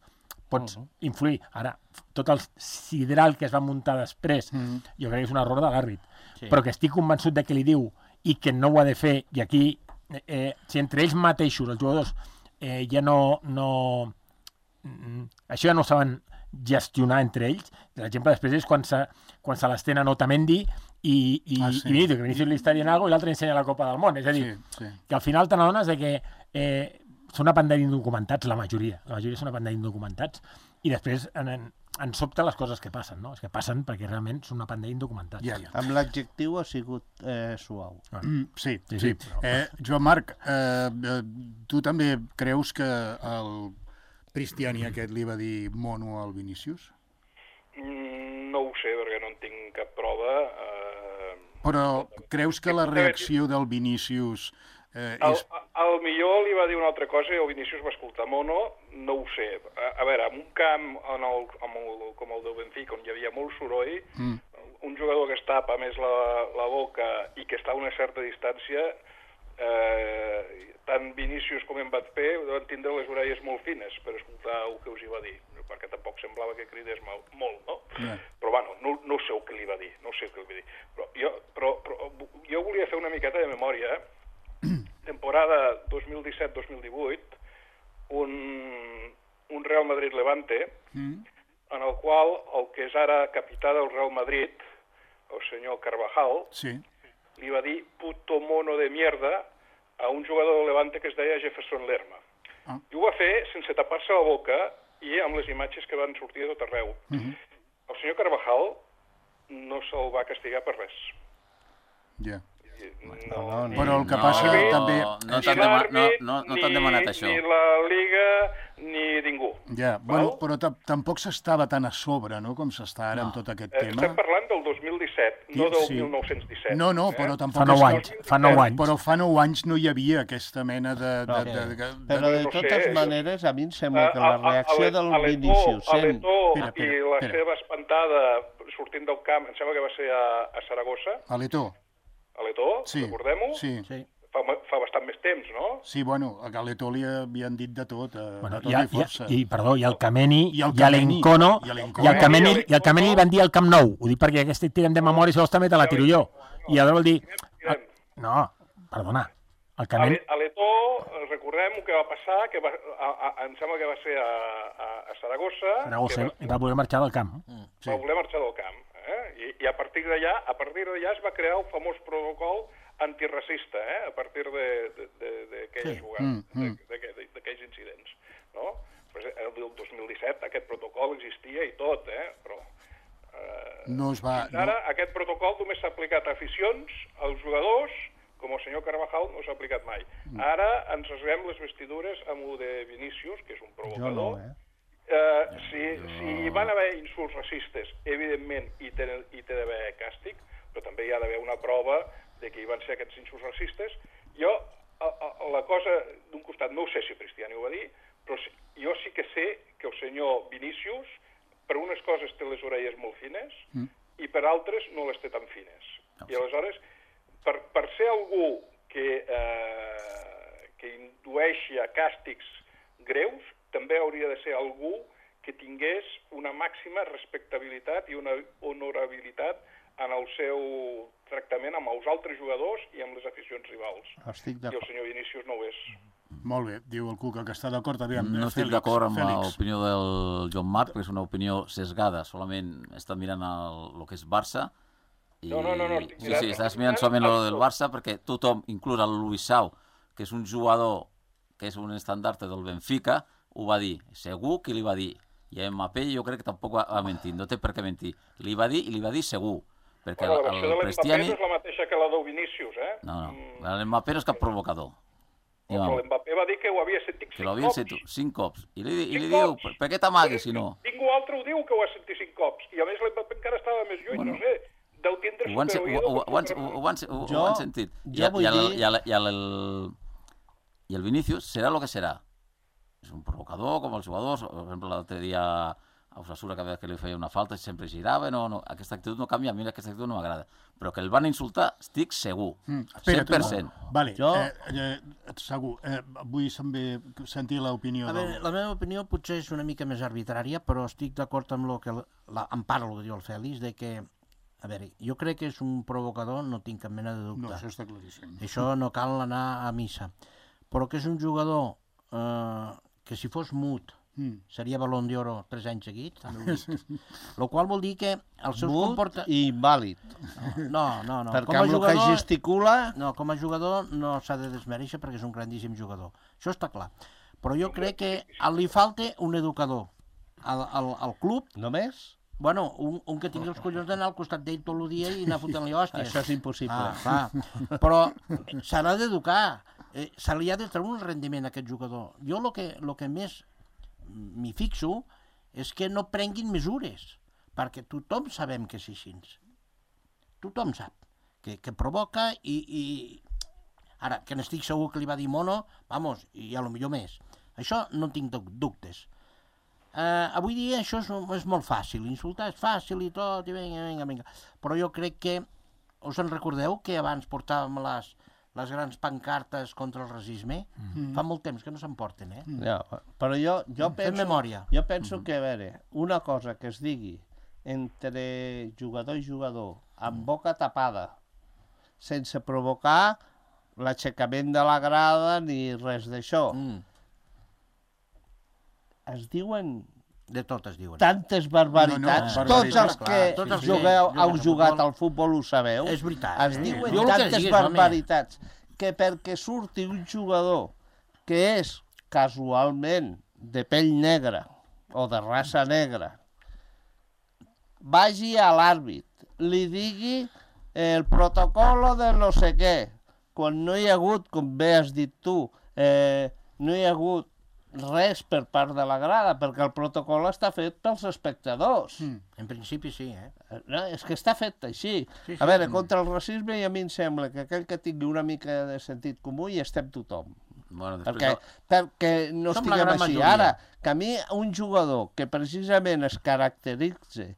pots uh -huh. influir. Ara, tot el sideral que es va muntar després, uh -huh. jo crec que és un error de l'àrbit. Sí. Però que estic convençut de que li diu i que no ho ha de fer, i aquí, eh, si entre ells mateixos, els jugadors, eh, ja no... no mm, això ja no saben gestionar entre ells. L'exemple després és quan se, quan se les tenen Otamendi i, i, Ah, sí. i Vinicius, que Vinicius li està dient alguna cosa i l'altre ensenya la Copa del Món. És a dir, Sí, sí. que al final te n'adones de que eh, són una panda d'indocumentats, la majoria. La majoria són una panda d'indocumentats. I després en, en, en sobte les coses que passen, no? És que passen perquè realment són una panda d'indocumentats. Ja, ja. Amb l'adjectiu ha sigut eh, suau. Mm, sí, Sí, sí. sí, però- Eh, Joan Marc, eh, eh, tu també creus que el Cristiani aquest li va dir mono al Vinícius? Mm, no ho sé, perquè no en tinc cap prova. Eh, Però creus que la reacció del Vinícius eh, Al, és... al millor li va dir una altra cosa i el Vinícius va escoltar mono, no ho sé. A, a veure, en un camp en el, en el, com el del Benfica, on hi havia molt soroll, Mm. un jugador que es tapa més la, la boca i que està a una certa distància, eh, tant Vinícius com Mbappé van tindre les orelles molt fines per escoltar el que us hi va dir, perquè tampoc semblava que cridés mal, molt, no? Ja. Però, bueno, no, no sé el que li va dir, no sé el que li va dir. Però jo, però, però, jo volia fer una miqueta de memòria, eh? Temporada dos mil disset dos mil divuit, un, un Real Madrid-Levante, Mm. en el qual el que és ara capità del Real Madrid, el senyor Carvajal, Sí. li va dir puto mono de mierda a un jugador del Levante que es deia Jefferson Lerma. Ah. I ho va fer sense tapar-se la boca i amb les imatges que van sortir de tot arreu. Mhm. El senyor Carvajal no se'l va castigar per res. Ja. I no, no. Però el que no, passa Àrbit, també... No ni t'han dema no, l'àrbit, no, no ni- t'han demanat això. Ni la Liga, ni ningú. Ja, bueno, Val? però ta- tampoc s'estava tan a sobre, no?, com s'està ara amb tot aquest Eh, tema. Estem parlant del dos mil disset, no I- del sí. mil nou-cents disset. No, no, eh? però tampoc... Fa nou és- anys, fa nou anys. Però fa nou anys no hi havia aquesta mena de... de, No. de, de, de, Però de no sé, totes és- maneres, a mi em sembla que A- la a- a- reacció a del l'Eto- Vinícius a sent... l'Eto Espera, espera, i la espera. seva espantada sortint del camp, em sembla que va ser a, a Saragossa, a l'Eto. a l'Eto, Sí, recordem-ho? sí. Sí. Fa, fa bastant més temps, no? Sí, bueno, a l'Eto li havien dit de tot, eh, Bueno, de tot i, i, i, força. i, perdó, i el Cameni, I el i Kameni. l'Encono, I i l'Encono. el Cameni, I i el Cameni li van dir al Camp Nou. Ho dic perquè aquest tirem de memòria, si vols també te la tiro jo. I llavors vol dir... Tirem. No, perdona. El A Cameni... l'E- a l'Eto, eh, recordem el que va passar, que va, a, a, em sembla que va ser a, a, a Saragossa, Saragossa que va voler marxar del camp. Sí. va voler marxar del camp. Eh? I, I a partir d'allà a partir d'allà es va crear el famós protocol antiracista, eh? A partir d'aquelles Sí. jugades, Mm, mm. de- de- de- d'aquells incidents. No? Pues el del dos mil disset aquest protocol existia i tot, eh? Però eh, No es va... fins ara aquest protocol només s'ha aplicat a aficions, als jugadors, com el senyor Carvajal no s'ha aplicat mai. Ara ens rasguem les vestidures amb el de Vinícius, que és un Jo provocador. no, eh? Eh, si, si hi van haver insults racistes, evidentment hi té, hi té d'haver càstig, però també hi ha d'haver una prova de que hi van ser aquests insults racistes. Jo, a, a, la cosa, d'un costat, no ho sé si Cristiani ho va dir, però sí, jo sí que sé que el senyor Vinícius, per unes coses té les orelles molt fines Mm. i per altres no les té tan fines. I aleshores, per, per ser algú que, eh, que indueixi a càstigs greus, també hauria de ser algú que tingués una màxima respectabilitat i una honorabilitat en el seu tractament amb els altres jugadors i amb les aficions rivals. Estic I el d'acord. senyor Vinícius no ho és. Molt bé, diu el Cuca que està d'acord. Aviam, No eh, estic Fèlix, d'acord amb Fèlix. l'opinió del Joan Marc, perquè és una opinió sesgada, solament està mirant el, el que és Barça. I... No, no, no, no, estic sí, mirant- sí, estàs estic mirant mirant solament el el del tot. Barça, perquè tothom, inclús el Luisao, que és un jugador que és un estandarte del Benfica, ho va dir. Segur que li va dir. I a Mbappé jo crec que tampoc va, va mentir, no té per què mentir. Li va dir i li va dir segur. Perquè Bueno, la el, versió de el l'Mbappé Cristiani... no és la mateixa que la del Vinícius, eh? No, no, Mm, l'Mbappé no és cap provocador. I, però vamos, l'Mbappé va dir que ho havia sentit que cinc l'havien cops. sentit cinc cops. I li, i li Cinc diu, cops. per, per què t'amagues si no? Ningú altre ho diu que ho ha sentit cinc cops. I a més l'Mbappé encara estava més lluny, Bueno. no sé. Deu tindre Ho han, se- ho, superoïdo ho, per ho, han, superoïdo. ho, han, ho, Jo- ho han sentit. jo I, vull i, el, dir- i, el, i, el, I el Vinícius serà el que serà. És un provocador, com els jugadors. Per exemple, l'altre dia a Osasuna, cada vegada que li feia una falta, sempre girava. No, no, aquesta actitud no canvia, a mi aquesta actitud no m'agrada. Però que el van insultar, estic segur. Mm, espera, cent per cent. Tu, vale, Jo- eh, eh, segur. Eh, vull també sentir l'opinió A veure, del... la meva opinió potser és una mica més arbitrària, però estic d'acord amb el que la, la, en part el que diu el Fèlix, de que, a veure, jo crec que és un provocador, no tinc cap mena de dubte. No, això està claríssim. Això no cal anar a missa. Però que és un jugador eh, que si fos mut Mm. Seria Balón d'Oro tres anys seguits, també ho dic. Lo qual vol dir que els seus Mut comportaments... i invàlid. No, no, no. Perquè Com a amb el que jugador... gesticula... No, com a jugador no s'ha de desmereixer perquè és un grandíssim jugador. Això està clar. Però jo crec que li falta un educador al, al, al club. Només? Bueno, un, un que tingui els collons d'anar al costat d'ell tot el dia i anar fotent-li hòsties. Això és impossible. Ah, clar. Però s'ha d'educar. Eh, se li ha de treure un rendiment a aquest jugador. Jo el que, lo que més m'hi fixo és que no prenguin mesures, perquè tothom sabem que és així. Tothom sap que, que provoca i, i... Ara, que n'estic segur que li va dir mono, vamos, i a lo millor més. Això no tinc dubtes. Uh, avui dia això és, és molt fàcil, insultar és fàcil i tot, i vinga, vinga, vinga. Però jo crec que, us en recordeu que abans portàvem les, les grans pancartes contra el racisme? Mm. Fa molt temps que no se'n porten, eh? Ja, però jo, jo Fem penso, memòria. jo penso que, a veure, una cosa que es digui entre jugador i jugador, amb boca tapada, sense provocar l'aixecament de la grada ni res d'això, Mm. es diuen De tot es diuen. tantes barbaritats. No, no, Tots els barbaritats, que clar. Tots els que jugueu, juguen heu a jugat futbol. al futbol ho sabeu. És veritat. Es eh? diuen Diu el que tantes diguis, home. barbaritats que perquè surti un jugador que és casualment de pell negra o de raça negra, vagi a l'àrbit, li digui el protocolo de no sé què, quan no hi ha hagut, com bé has dit tu, eh, no hi ha hagut res per part de la grada, perquè el protocol està fet pels espectadors. Mm. En principi sí, eh? No, és que està fet així. Sí, sí. A veure, contra el racisme i a mi em sembla que aquell que tingui una mica de sentit comú hi estem tothom. Bueno, després... Perquè, perquè no Som la estiguem gran així. majoria. Ara, que a mi un jugador que precisament es caracteritza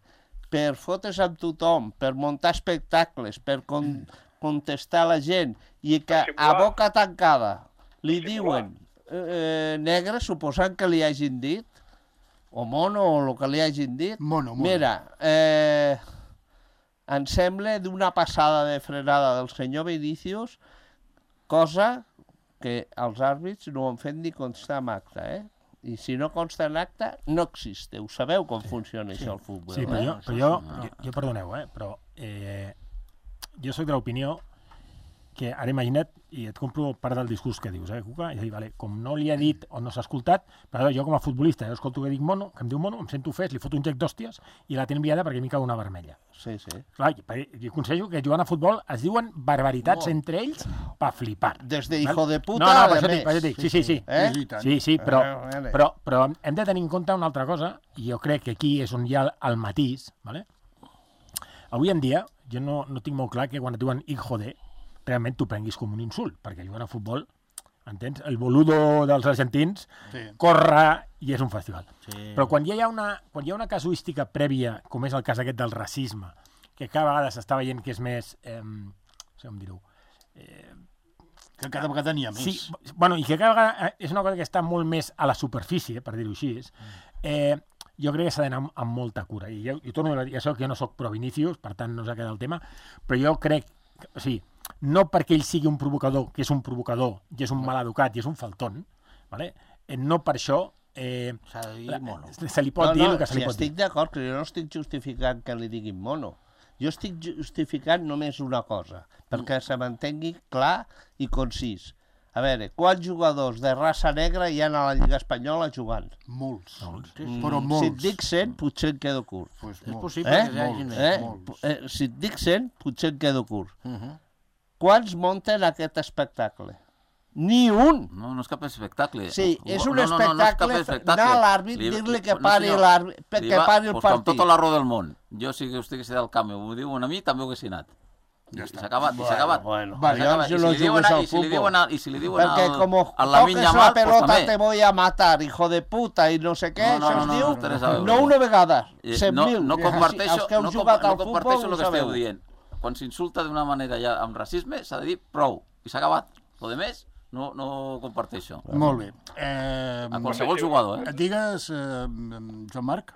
per fotre's amb tothom, per muntar espectacles, per con contestar a la gent, i que Per a simular. boca tancada li Per simular. diuen eh, negre, suposant que li hagin dit, o mono, o el que li hagin dit. Mono, mono. Mira, eh, em sembla d'una passada de frenada del senyor Vinicius, cosa que els àrbits no ho han fet ni constar en acte, eh? I si no consta en acte, no existe. Ho sabeu com funciona això al futbol, Sí, però eh? jo, però jo, jo, jo perdoneu, eh, però eh, jo soc de l'opinió que ara imagina't, i et compro part del discurs que dius, eh, Cuca? És a dir, vale, com no li ha dit o no s'ha escoltat, però jo com a futbolista, jo escolto que dic mono, que em diu mono, em sento ofès, li foto un gec d'hòsties i la tenen enviada perquè m'hi cau una vermella. Sí, sí. Clar, jo aconsello que jugant a futbol es diuen barbaritats Molt. entre ells pa flipar. Des de Val? hijo de puta no, no, a per la això dic, més. per això dic, sí, sí, sí. Eh? Sí, i tant. Sí, sí, però, Eh, vale. però, però hem de tenir en compte una altra cosa, i jo crec que aquí és on hi ha el, el matís, ¿vale? Avui en dia, jo no, no tinc molt clar que quan et diuen hijo de, realment t'ho prenguis com un insult, perquè jugant a futbol, entens? El boludo dels argentins Sí. corre i és un festival. Sí. Però quan hi ha una, quan hi ha una casuística prèvia, com és el cas aquest del racisme, que cada vegada s'està veient que és més... Eh, no sé com dir-ho... Eh, Que cada vegada n'hi ha més. Sí, bueno, i que cada vegada és una cosa que està molt més a la superfície, per dir-ho així. Eh, jo crec que s'ha d'anar amb, amb molta cura. I jo, jo torno a dir, ja sé que jo no sóc pro Vinicius, per tant no s'ha quedat el tema, però jo crec, que, o sigui, no perquè ell sigui un provocador, que és un provocador, i és un maleducat, i és un faltón, vale? eh, no per això eh, S'ha de dir mono. se li pot No, dir no, el que se si li pot dir. estic d'acord, que jo no estic justificant que li diguin mono. Jo estic justificant només una cosa, perquè se m'entengui clar i concís. A veure, quants jugadors de raça negra hi ha a la Lliga Espanyola jugant? Molts. Molts. Mm, Però Si molts. et dic cent, potser em quedo curt. Pues És molts. possible Eh? que hi hagi més. Eh? molts. Eh, si et dic cent, potser em quedo curt. Uh -huh. Quants munten aquest espectacle? Ni un! No, no és cap espectacle. Sí, és un no, no, no, no és cap espectacle, anar a l'àrbit, Li- dir-li que no, pari senyor. l'àrbit, Li que va- pari el pues com partit. tota la raó del món. Jo, si vostè que sé del camp, m'ho diuen a mi, també ho hagués anat. Ja I està. s'ha acabat, i s'ha acabat. Bueno, I bueno, s'ha acabat. jo I no si li diuen jugues a- al i si li futbol. diuen a- I si li diuen Perquè al, com al Lamine toques la Yamal, pues pelota també. te voy a matar, hijo de puta, i no sé què, No, no, això no, es no, diu, no té res a veure. no una vegada, Eh, cent no, mil. no comparteixo, Els que heu no, jugat compa- al no futbol comparteixo ho el que esteu sabeu. dient. Quan s'insulta d'una manera ja amb racisme, s'ha de dir prou. I s'ha acabat. Lo de més, no, no comparteixo. Molt bé. Eh, A qualsevol jugador, eh? Digues, eh, Joan Marc.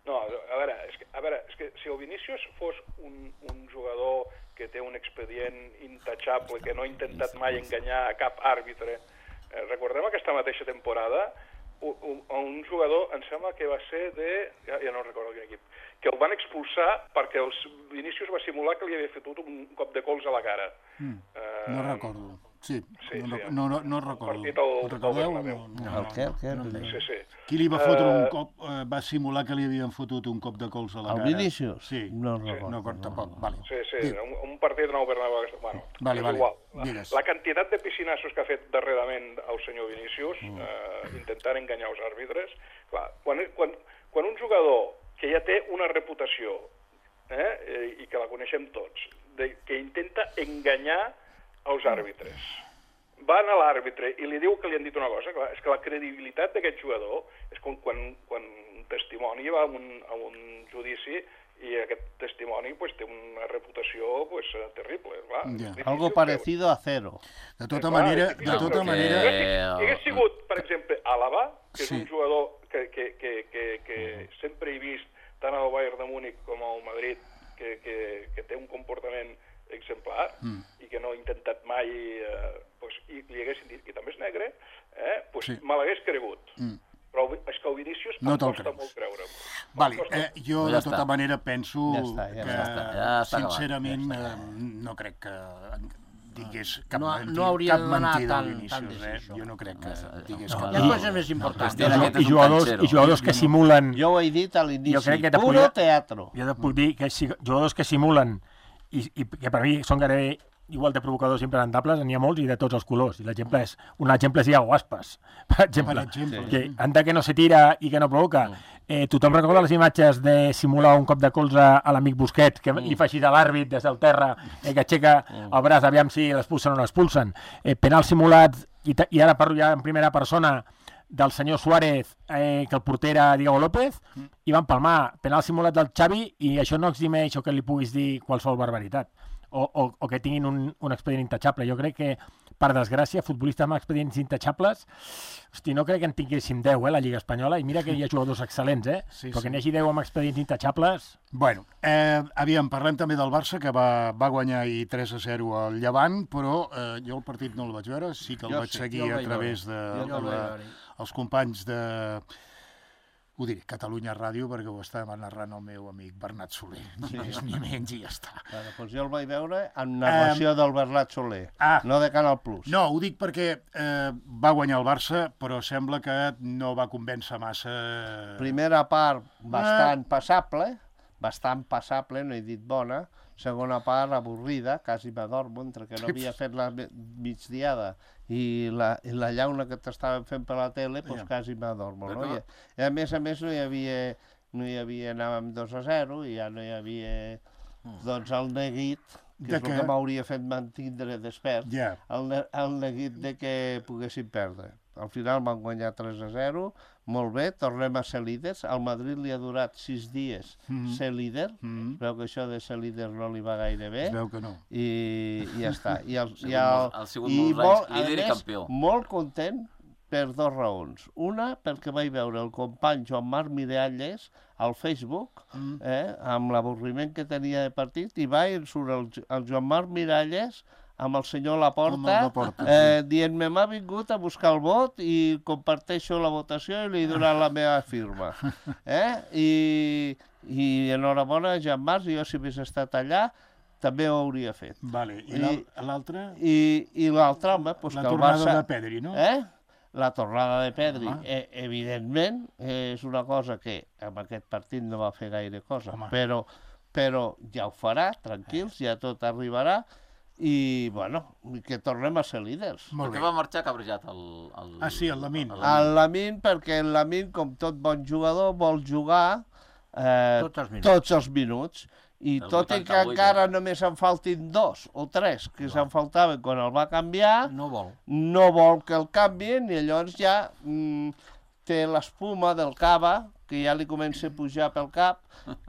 No, a veure, és que, a veure, és que si el Vinícius fos un, un jugador que té un expedient intachable, que no ha intentat mai enganyar a cap àrbitre, eh, recordem aquesta mateixa temporada un, un, un jugador, em sembla que va ser de... Ja, ja no recordo quin equip, que el van expulsar perquè els Vinícius va simular que li havia fotut un cop de cols a la cara. Mm. Uh, no recordo. Sí, sí, no, sí, no, no, no recordo. Partit al, el recordeu? al No, no, El què? El què? no, no. Sí, sí. Qui li va fotre Uh, un cop, eh, va simular que li havien fotut un cop de cols a la El cara? Vinícius? Sí. No recordo. No, tampoc, vale. Sí, sí, Diu. un, un partit nou Bernabéu. Bueno, Vale, és vale, igual. digues. La quantitat de piscinassos que ha fet darrerament el senyor Vinícius, mm. eh, intentant enganyar els àrbitres, clar, quan, quan, quan un jugador que ja té una reputació, eh, i que la coneixem tots, de, que intenta enganyar els àrbitres, va anar a l'àrbitre i li diu que li han dit una cosa, clar, és que la credibilitat d'aquest jugador és com quan, quan un testimoni va a un, a un judici i aquest testimoni pues, té una reputació pues, terrible. Clar. Ja. Algo parecido a cero. De tota Clar, manera, és de difícil, tota però manera... Si hagués, si hagués sigut, per exemple, Àlava, que és Sí. un jugador que, que, que, que, que sempre he vist tant al Bayern de Múnich com al Madrid, que, que, que té un comportament exemplar mm. i que no ha intentat mai, eh, pues, i li haguessin dit, i també és negre, eh, pues, Sí. me l'hagués cregut. Mm. Però és que el Vinícius No em te'l costa creus. molt creure'm. Vale, Em costa eh, jo Ja de tota està. manera penso Ja està, ja que, està, ja està acabat. sincerament, eh, no crec que digués cap, No- mentida, no hauria cap d'anar mentida tan- al tan Vinícius, eh? decisió. Jo no crec que No, digués no, cap Hi ha no. coses més importants. Cristian aquest és I un jugadors, canxero. i jugadors que simulen... Jo ho he dit a Jo l'inici, crec que te puro podria- teatro. Jo et puc dir que si, jugadors que simulen i, i que per mi són gairebé igual de provocadors impresentables, n'hi ha molts i de tots els colors. I l'exemple és, un exemple és Iago Aspas, per exemple, Per exemple, que sí. anda que no se tira i que no provoca. Eh, tothom recorda les imatges de simular un cop de colze a l'amic Busquets, que li fa així de l'àrbit des del terra, eh, que aixeca el braç, aviam si l'expulsen o no l'expulsen. Eh, penal simulat, i, ta- i ara parlo ja en primera persona, del senyor Suárez, eh, que el porter era Diego López, i van palmar penal simulat del Xavi, i això no eximeix o que li puguis dir qualsevol barbaritat. O, o, o que tinguin un, un expedient intachable. Jo crec que, per desgràcia, futbolistes amb expedients intachables, hosti, no crec que en tinguéssim deu, eh, la Lliga Espanyola, i mira que hi ha jugadors excel·lents, eh? Sí, Però sí. que n'hi hagi deu amb expedients intachables... Bueno, eh, aviam, parlem també del Barça, que va, va guanyar ahir tres a zero al Llevant, però eh, jo el partit no el vaig veure, sí que el Jo vaig sí, seguir jo el a vaig través de, Jo el de vaig la, veure. els companys de... Ho diré, Catalunya Ràdio, perquè ho estava narrant el meu amic Bernat Soler. Ni més ni menys i ja està. Bueno, doncs jo el vaig veure en narració del Bernat Soler, ah. no de Canal Plus. No, ho dic perquè eh, va guanyar el Barça, però sembla que no va convèncer massa... Primera part bastant passable, bastant passable, no he dit bona. Segona part avorrida, quasi m'adormo, entre que no havia fet la me- migdiada i la, i la llauna que t'estaven fent per la tele, doncs Ja. quasi m'adormo. No? Però- I, I a més a més no hi havia, no hi havia, anàvem dos a zero i ja no hi havia doncs el neguit, que De és el què? que m'hauria fet mantindre despert, Ja. el, ne- el neguit de que poguessin perdre. Al final van guanyar tres a zero, molt bé, tornem a ser líders. Al Madrid li ha durat sis dies Mhm. ser líder, Mm, es veu que això de ser líder no li va gaire bé, es veu que no. i, i ja està. I, el, Sigut i, el, molt- ha sigut i molts molt, anys a líder i més, campió. molt content per dues raons. Una, perquè vaig veure el company Joan Marc Miralles al Facebook, Mm. eh, amb l'avorriment que tenia de partit, i va i surt el, el Joan Marc Miralles amb el senyor Laporta, Amb el Laporta, eh, dient-me m'ha vingut a buscar el vot i comparteixo la votació i li he donat la meva firma. Eh? I, I enhorabona, Joan Marc, jo si hagués estat allà també ho hauria fet. Vale, i I- l'al- l'altre? I, i l'altre, home, doncs La que el tornada Barça... de Pedri, no? Eh? La tornada de Pedri, Home. eh, evidentment, eh, és una cosa que amb aquest partit no va fer gaire cosa, Home. però, però ja ho farà, tranquils, ja tot arribarà, i, bueno, que tornem a ser líders. Molt Per bé. què va marxar cabrejat el... el Ah, sí, el Lamine. el El Lamine, perquè el Lamine, com tot bon jugador, vol jugar eh, Tots els minuts. tots els minuts. I El tot i que vuitanta-vuit, encara eh? només en faltin dos o tres que se'n faltaven quan el va canviar, No vol. no vol que el canvien i llavors ja mm, té l'espuma del cava, que ja li comença a pujar pel cap,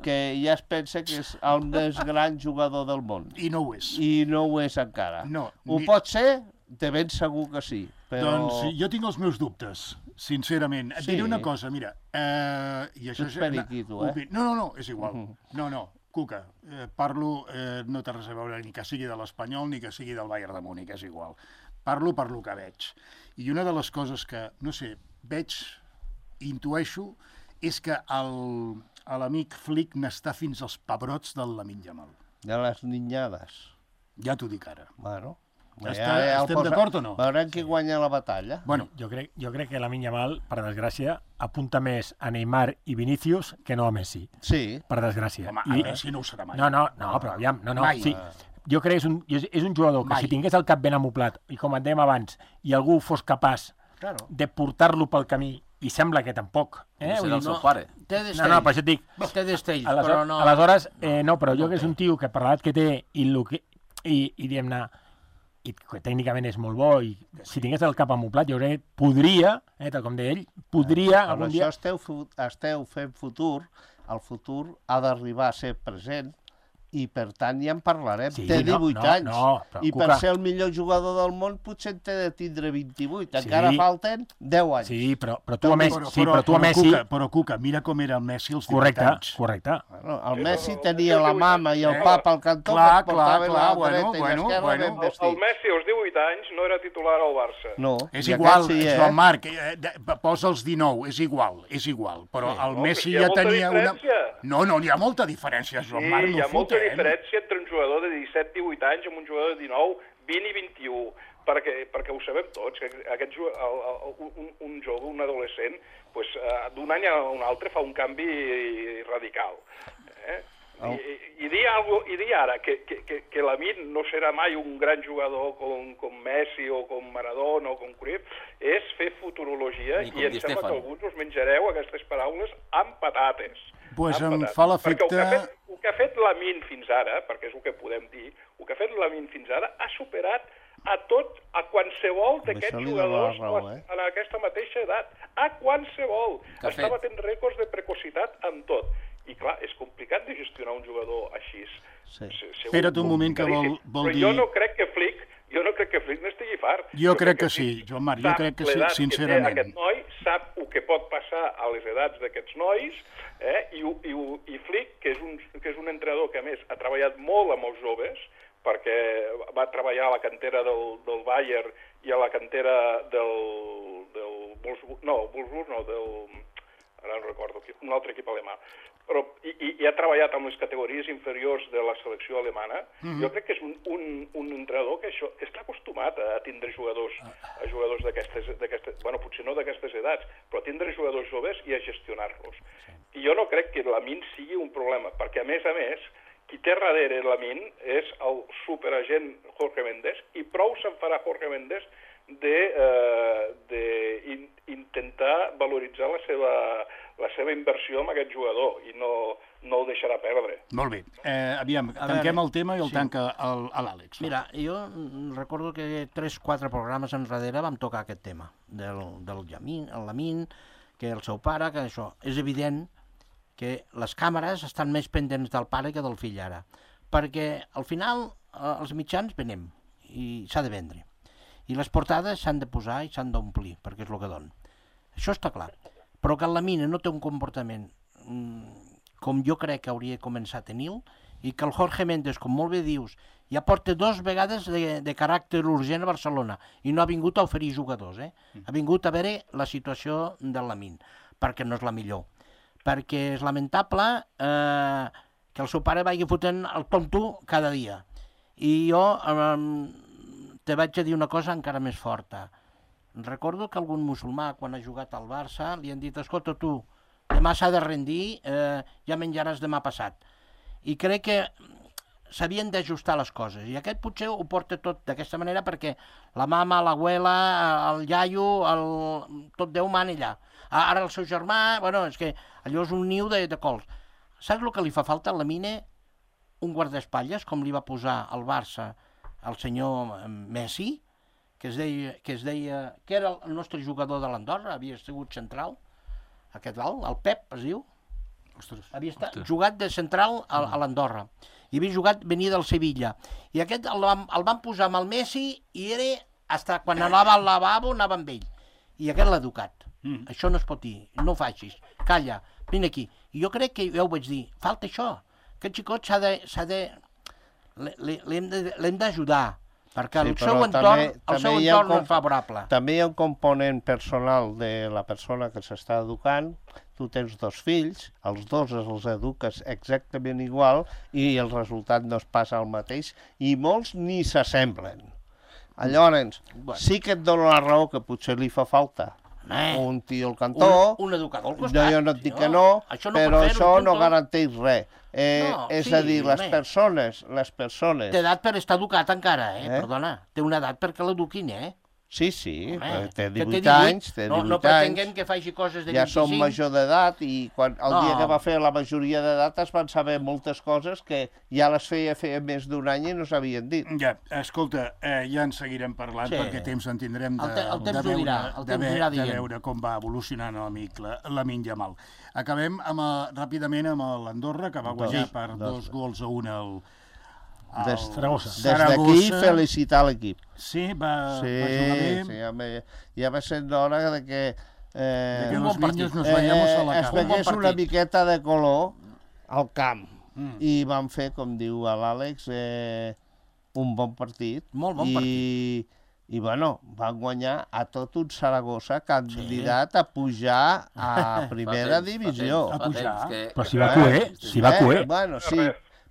que ja es pensa que és el més gran jugador del món. I no ho és. I no ho és encara. No, Ho ni- pot ser? De ben segur que sí. Però... Doncs jo tinc els meus dubtes, sincerament. Et Sí. diré una cosa, mira, eh, i això... Tu ets periquito, eh? Opi- No, no, no, és igual. No, no, Cuca, eh, parlo, eh, no té res a veure ni que sigui de l'Espanyol ni que sigui del Bayern de Múnich, és igual. Parlo per lo que veig. I una de les coses que, no sé, veig intueixo és que el, l'amic Flick n'està fins als pebrots del Lamine Yamal. De les niñades. Ja t'ho dic ara. Bueno, Està, estem d'acord o no? Veurem qui guanya la batalla. Bueno, Jo crec, jo crec que Lamine Yamal, per desgràcia, apunta més a Neymar i Vinícius que no a Messi, Sí. per desgràcia. home, I, a Messi no ho serà mai. no, no, no, però aviam, no, no, Mai. sí. Jo crec que és un, és, és un jugador que Mai. si tingués el cap ben amoplat, i com et dèiem abans, i algú fos capaç Claro. de portar-lo pel camí, i sembla que tampoc, eh? Serà Vull el dir, seu no. pare. Té no, destells. no, per això et dic, Té destells, aleshores, però no... aleshores eh, no, però jo que és un tio que per l'edat que té i, lo que, i, i diguem-ne, i que tècnicament és molt bo, i si tingués el cap amoplat, jo crec que podria, eh, tal com deia ell, podria Per algun això dia... esteu, fu- esteu fent futur, el futur ha d'arribar a ser present, i per tant ja en parlarem. Sí, té no, divuit no, anys, no, però, i per Cuca. ser el millor jugador del món potser en té de tindre vint-i-vuit, Sí. encara falten deu anys. Sí, però, però tu a Messi, Però, sí, però tu a però, Messi... Cuca, però Cuca, mira com era el Messi als divuit Correcte, anys. correcte. Bueno, el Messi tenia la mama i el Eh? papa al cantó, Clar, que portava clar, la clar, bueno, dreta i bueno, l'esquerra bueno. ben El, el vestit. Messi als divuit anys no era titular al Barça. No, És i igual, aquest sí, eh? Joan Marc, eh, de- posa els dinou, és igual, és igual. Però el No, Messi però hi ha ja molta tenia una... diferència. No, no, hi ha molta diferència, Sí, Joan Marc, hi no ha molta fotem. diferència entre un jugador de disset divuit anys i un jugador de dinou, vint i vint-i-u, perquè, perquè ho sabem tots, que aquest, ju- el, el, un, un jove, un adolescent, pues, uh, d'un any a un altre fa un canvi radical. Eh? I, i, i, dir algo, I dir ara que, que, que, que Lamine no serà mai un gran jugador com, com Messi o com Maradona o com Cruyff és fer futurologia Ni com i em Di sembla Stefano. que alguns us menjareu aquestes paraules amb patates. Pues Amb em patates. fa Perquè l'efecte... el que ha fet, el que ha fet Lamine fins ara, perquè és el que podem dir, el que ha fet Lamine fins ara ha superat a tot, a qualsevol d'aquests això li dona la jugadors raó, eh? en aquesta mateixa edat. A qualsevol. Que ha Està fet? batent rècords de precocitat amb tot. I clar, és complicat de gestionar un jugador així. Sí. Se- segur, Espera't un moment que vol- complicadíssim. vol Però dir- jo no crec que Flick, jo no crec que Flick n'estigui fart. Jo crec que sí, Flick Joan Marc, jo sap crec que sí, l'edat sincerament. té aquest noi, sap el que pot passar a les edats d'aquests nois, eh? I, ho- i, ho- i Flick, que és, un, que és un entrenador que a més ha treballat molt amb els joves, perquè va treballar a la cantera del, del Bayern i a la cantera del, del Wolfsburg, no, Wolfsburg no, del, ara no recordo, un altre equip alemà, però, i, i, i ha treballat amb les categories inferiors de la selecció alemana. Mm-hmm. Jo crec que és un, un, un entrenador que això està acostumat a tindre jugadors, a jugadors d'aquestes, d'aquestes, bueno, potser no d'aquestes edats, però a tindre jugadors joves i a gestionar-los. Sí. I jo no crec que Lamine sigui un problema, perquè a més a més, qui té darrere Lamine és el superagent Jorge Méndez, i prou se'n farà Jorge Méndez de, eh, de in, intentar valoritzar la seva, la seva inversió en aquest jugador i no, no el deixarà perdre. Molt bé. Eh, aviam, A tanquem veure, el tema i el sí. tanca el- a l'Àlex. Mira, jo mm, recordo que tres quatre programes enrere vam tocar aquest tema, del, del Lamine, el Lamine, que el seu pare, que això. És evident que les càmeres estan més pendents del pare que del fill ara, perquè al final eh, els mitjans venem i s'ha de vendre. I les portades s'han de posar i s'han d'omplir, perquè és el que donen. Això està clar. Però que el Lamine no té un comportament mm, com jo crec que hauria de començar a tenir-lo, i que el Jorge Méndez, com molt bé dius, ja porta dos vegades de, de caràcter urgent a Barcelona i no ha vingut a oferir jugadors, eh? Ha vingut a veure la situació del Lamine, perquè no és la millor. Perquè és lamentable eh, que el seu pare vagi fotent el tonto cada dia. I jo eh, te vaig a dir una cosa encara més forta. Recordo que algun musulmà, quan ha jugat al Barça, li han dit, escolta tu, demà s'ha de rendir, eh, ja menjaràs demà passat. I crec que s'havien d'ajustar les coses, i aquest potser ho porta tot d'aquesta manera perquè la mama, l'abuela, el iaio, el... tot Déu mana allà. Ara el seu germà, bueno, és que allò és un niu de, de cols. Saps el que li fa falta a Lamine? Un guardaespatlles, com li va posar al Barça el senyor Messi, que es deia, que es deia, que era el nostre jugador de l'Andorra, havia sigut central, aquest val, el Pep es diu, Ostres. havia estat, jugat de central a, a l'Andorra, i havia jugat, venia del Sevilla, i aquest el van, el van posar amb el Messi, i era, hasta quan anava al lavabo, anava amb ell, i aquest l'ha educat. Mm. Això no es pot dir, no ho facis, calla, vine aquí. I jo crec que, ja ho vaig dir, falta això, aquest xicot s'ha de, s'ha de, l'hem de, l'hem d'ajudar, Perquè el Sí, però seu entorn, també- el també seu hi ha entorn no com- és favorable. També hi ha un component personal de la persona que s'està educant. Tu tens dos fills, els dos els eduques exactament igual i el resultat no es passa el mateix i molts ni s'assemblen. Llavors, sí que et dono la raó que potser li fa falta Eh, un tio al cantó, un, un educador al no, costat. jo no et dic si que no, això però pot fer-ho, això no punto. garanteix res. Eh, No, és sí, a dir, les home. persones, les persones... Té edat per estar educat encara, eh? Eh? Perdona, té una edat perquè l'eduquin, eh? Sí, sí, Home, té que divuit anys, té no, divuit no anys, pretenguem que faci coses de ja vint-i-cinc. som major d'edat i quan el No. dia que va fer la majoria d'edat es van saber moltes coses que ja les feia feia més d'un any i no s'havien dit. Ja, escolta, eh, ja en seguirem parlant Sí. perquè temps en tindrem de, El te- el temps de, ho dirà, veure, el de, temps ho ve- irà de dient. veure com va evolucionant l'amic la, l'Amin Yamal. Acabem amb, eh, ràpidament amb l'Andorra, que va guanyar Sí, per dos. dos gols a un al, al Des, Saragossa. des d'aquí, felicitar l'equip. Sí, va, Sí, va jugar bé. sí, ja, me, ja va sent l'hora de que, eh, De que Un los bon niños partit. nos vayamos a la es cama. vegués Un bon una partit. miqueta de color al camp. Mm. I van fer, com diu l'Àlex, eh, un bon partit. Molt bon I, partit. I, bueno, van guanyar a tot un Saragossa candidat a pujar a primera Fa temps, fa divisió. temps, fa A pujar. temps que- Però si va cué, si va Eh, cué. Bueno, sí,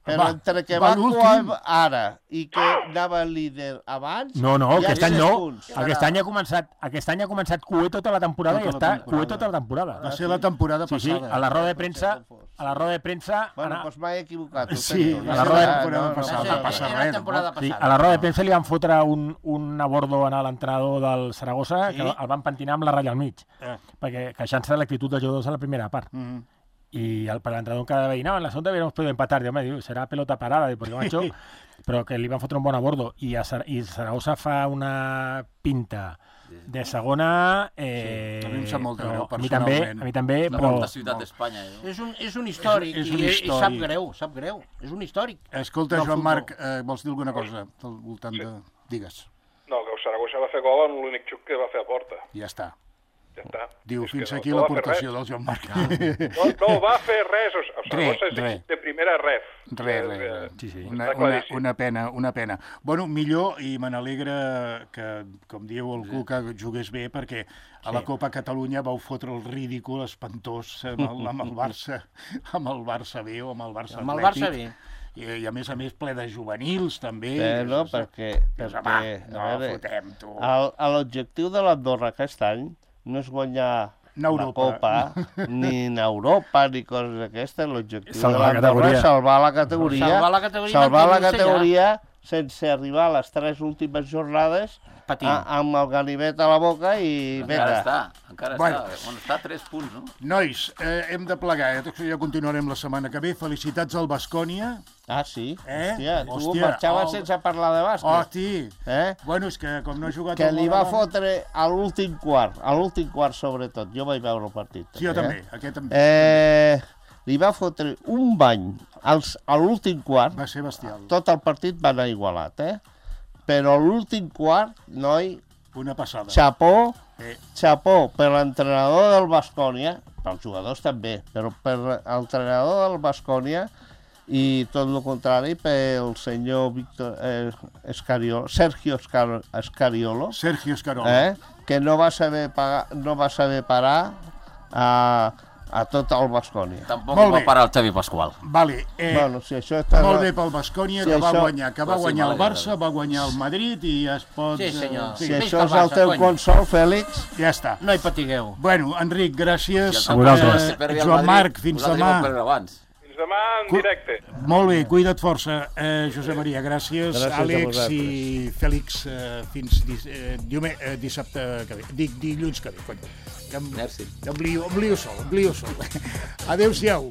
però Va, entre que va va l'últim. cuar ara i que anava líder abans... No, no, hi ha aquest any sis no. punts. Aquest any ha començat, aquest any ha començat cué tota la temporada Tota i la està temporada. cué tota la temporada. Va ser la temporada Sí, sí, passada. a la roda de premsa, a la roda de premsa, Bueno, anar- doncs m'he equivocat. ho Sí, sento. a la roda de Ah, temporada no, passada. no, No passa Era res, temporada tampoc. sí, passada. a la roda de premsa li van fotre un, un abordo a l'entrenador del Saragossa, Sí? que el van pentinar amb la ratlla al mig, Eh. perquè queixant-se de l'actitud dels jugadors a la primera part. Mm. Y al, para el entrenador cada vez, no, en la segunda hubiéramos podido empatar. Digo, digo, será pelota parada, digo, porque macho, pero que le iban a fotre un bon abordo. Y, a Sar y Zaragoza fa una pinta de segona... Eh, Sí, a mi em sap molt de però greu, a mi també, personalment. a mi també, La però... molta ciutat d'Espanya. Eh? És un, és un històric, És- és un i, i històric. sap greu, sap greu. És un històric. Escolta, del Joan futbol. Marc, eh, vols dir alguna cosa al voltant de... Digues. No, que el Saragossa va fer gol amb l'únic xuc que va fer a porta. Ja està. Ja està. Diu, És que fins no- aquí no va fer l'aportació res. del Joan Marc. No, no va fer res. O sigui, el Saragossa Res, és res. de primera ref. Res, És, res, eh, res. Sí, sí. Una, Està una, claríssim. una pena, una pena. Bueno, millor, i me n'alegra que, com diu el Cuca, jugués bé, perquè a la Copa Catalunya vau fotre el ridícul espantós amb el, amb el Barça, amb el Barça B o amb el Barça Amb el Atlètic. Barça B. I, I a més a més ple de juvenils, també. Eh, no, Dius, perquè, dius, perquè home, no, a veure, fotem, tu. el- a l'objectiu de l'Andorra aquest any no és guanyar No la Europa. Copa, ni en Europa, ni coses d'aquestes. L'objectiu de Salvar la l'Andorra és categoria. salvar la categoria, Salvar la categoria i salvar la mantenir-se categoria sense arribar a les tres últimes jornades Patint. a, amb el ganivet a la boca i Encara vinga. està, encara Bueno. està. On està a tres punts, no? Nois, eh, hem de plegar, eh? Ja continuarem la setmana que ve. Felicitats al Baskonia. Ah, sí? Eh? Hòstia, tu Hòstia, marxaves oh. sense parlar de bàsquet. Hosti! Eh? Bueno, és que com no he jugat... Que al li va Moraván- fotre a l'últim quart, a l'últim quart sobretot. Jo vaig veure el partit. Sí, jo eh? també, aquest també. Eh, li va fotre un bany als, a l'últim quart. Va ser bestial. Tot el partit va anar igualat, eh? Però a l'últim quart, noi, Una passada. xapó, Eh, xapó per l'entrenador del Baskonia, pels jugadors també, però per l'entrenador del Baskonia i tot el contrari pel senyor Víctor eh, Escariolo, Sergio Escar Escariolo, Sergio Escarola. eh, que no va saber pagar, no va saber parar a, a tot el Baskonia. Tampoc Molt va bé. parar el Xavi Pasqual. Vale, eh, Bueno, si això està... molt bé pel Baskonia, Sí, que va això- guanyar, que va Però sí, guanyar el m'alegra. Barça, va guanyar el Madrid i ja es pot... Sí, senyor. eh, Si sí, Visca això el és el Barça, teu cony. consol, Fèlix, ja està. No hi patigueu. Bueno, Enric, gràcies. Si A el vosaltres. Eh, perdi el Joan Madrid, Marc, fins vosaltres demà. vau perdre abans. Fins demà en Cu- directe. Molt bé, cuida't força. Eh, Josep Maria, gràcies. Gràcies a Àlex vosaltres. i Fèlix, eh, fins dis, eh, diume, eh, dissabte que ve. Dic dilluns que ve, cony. Que em, Merci. em lio, em lio sol, em lio sol. Adéu-siau.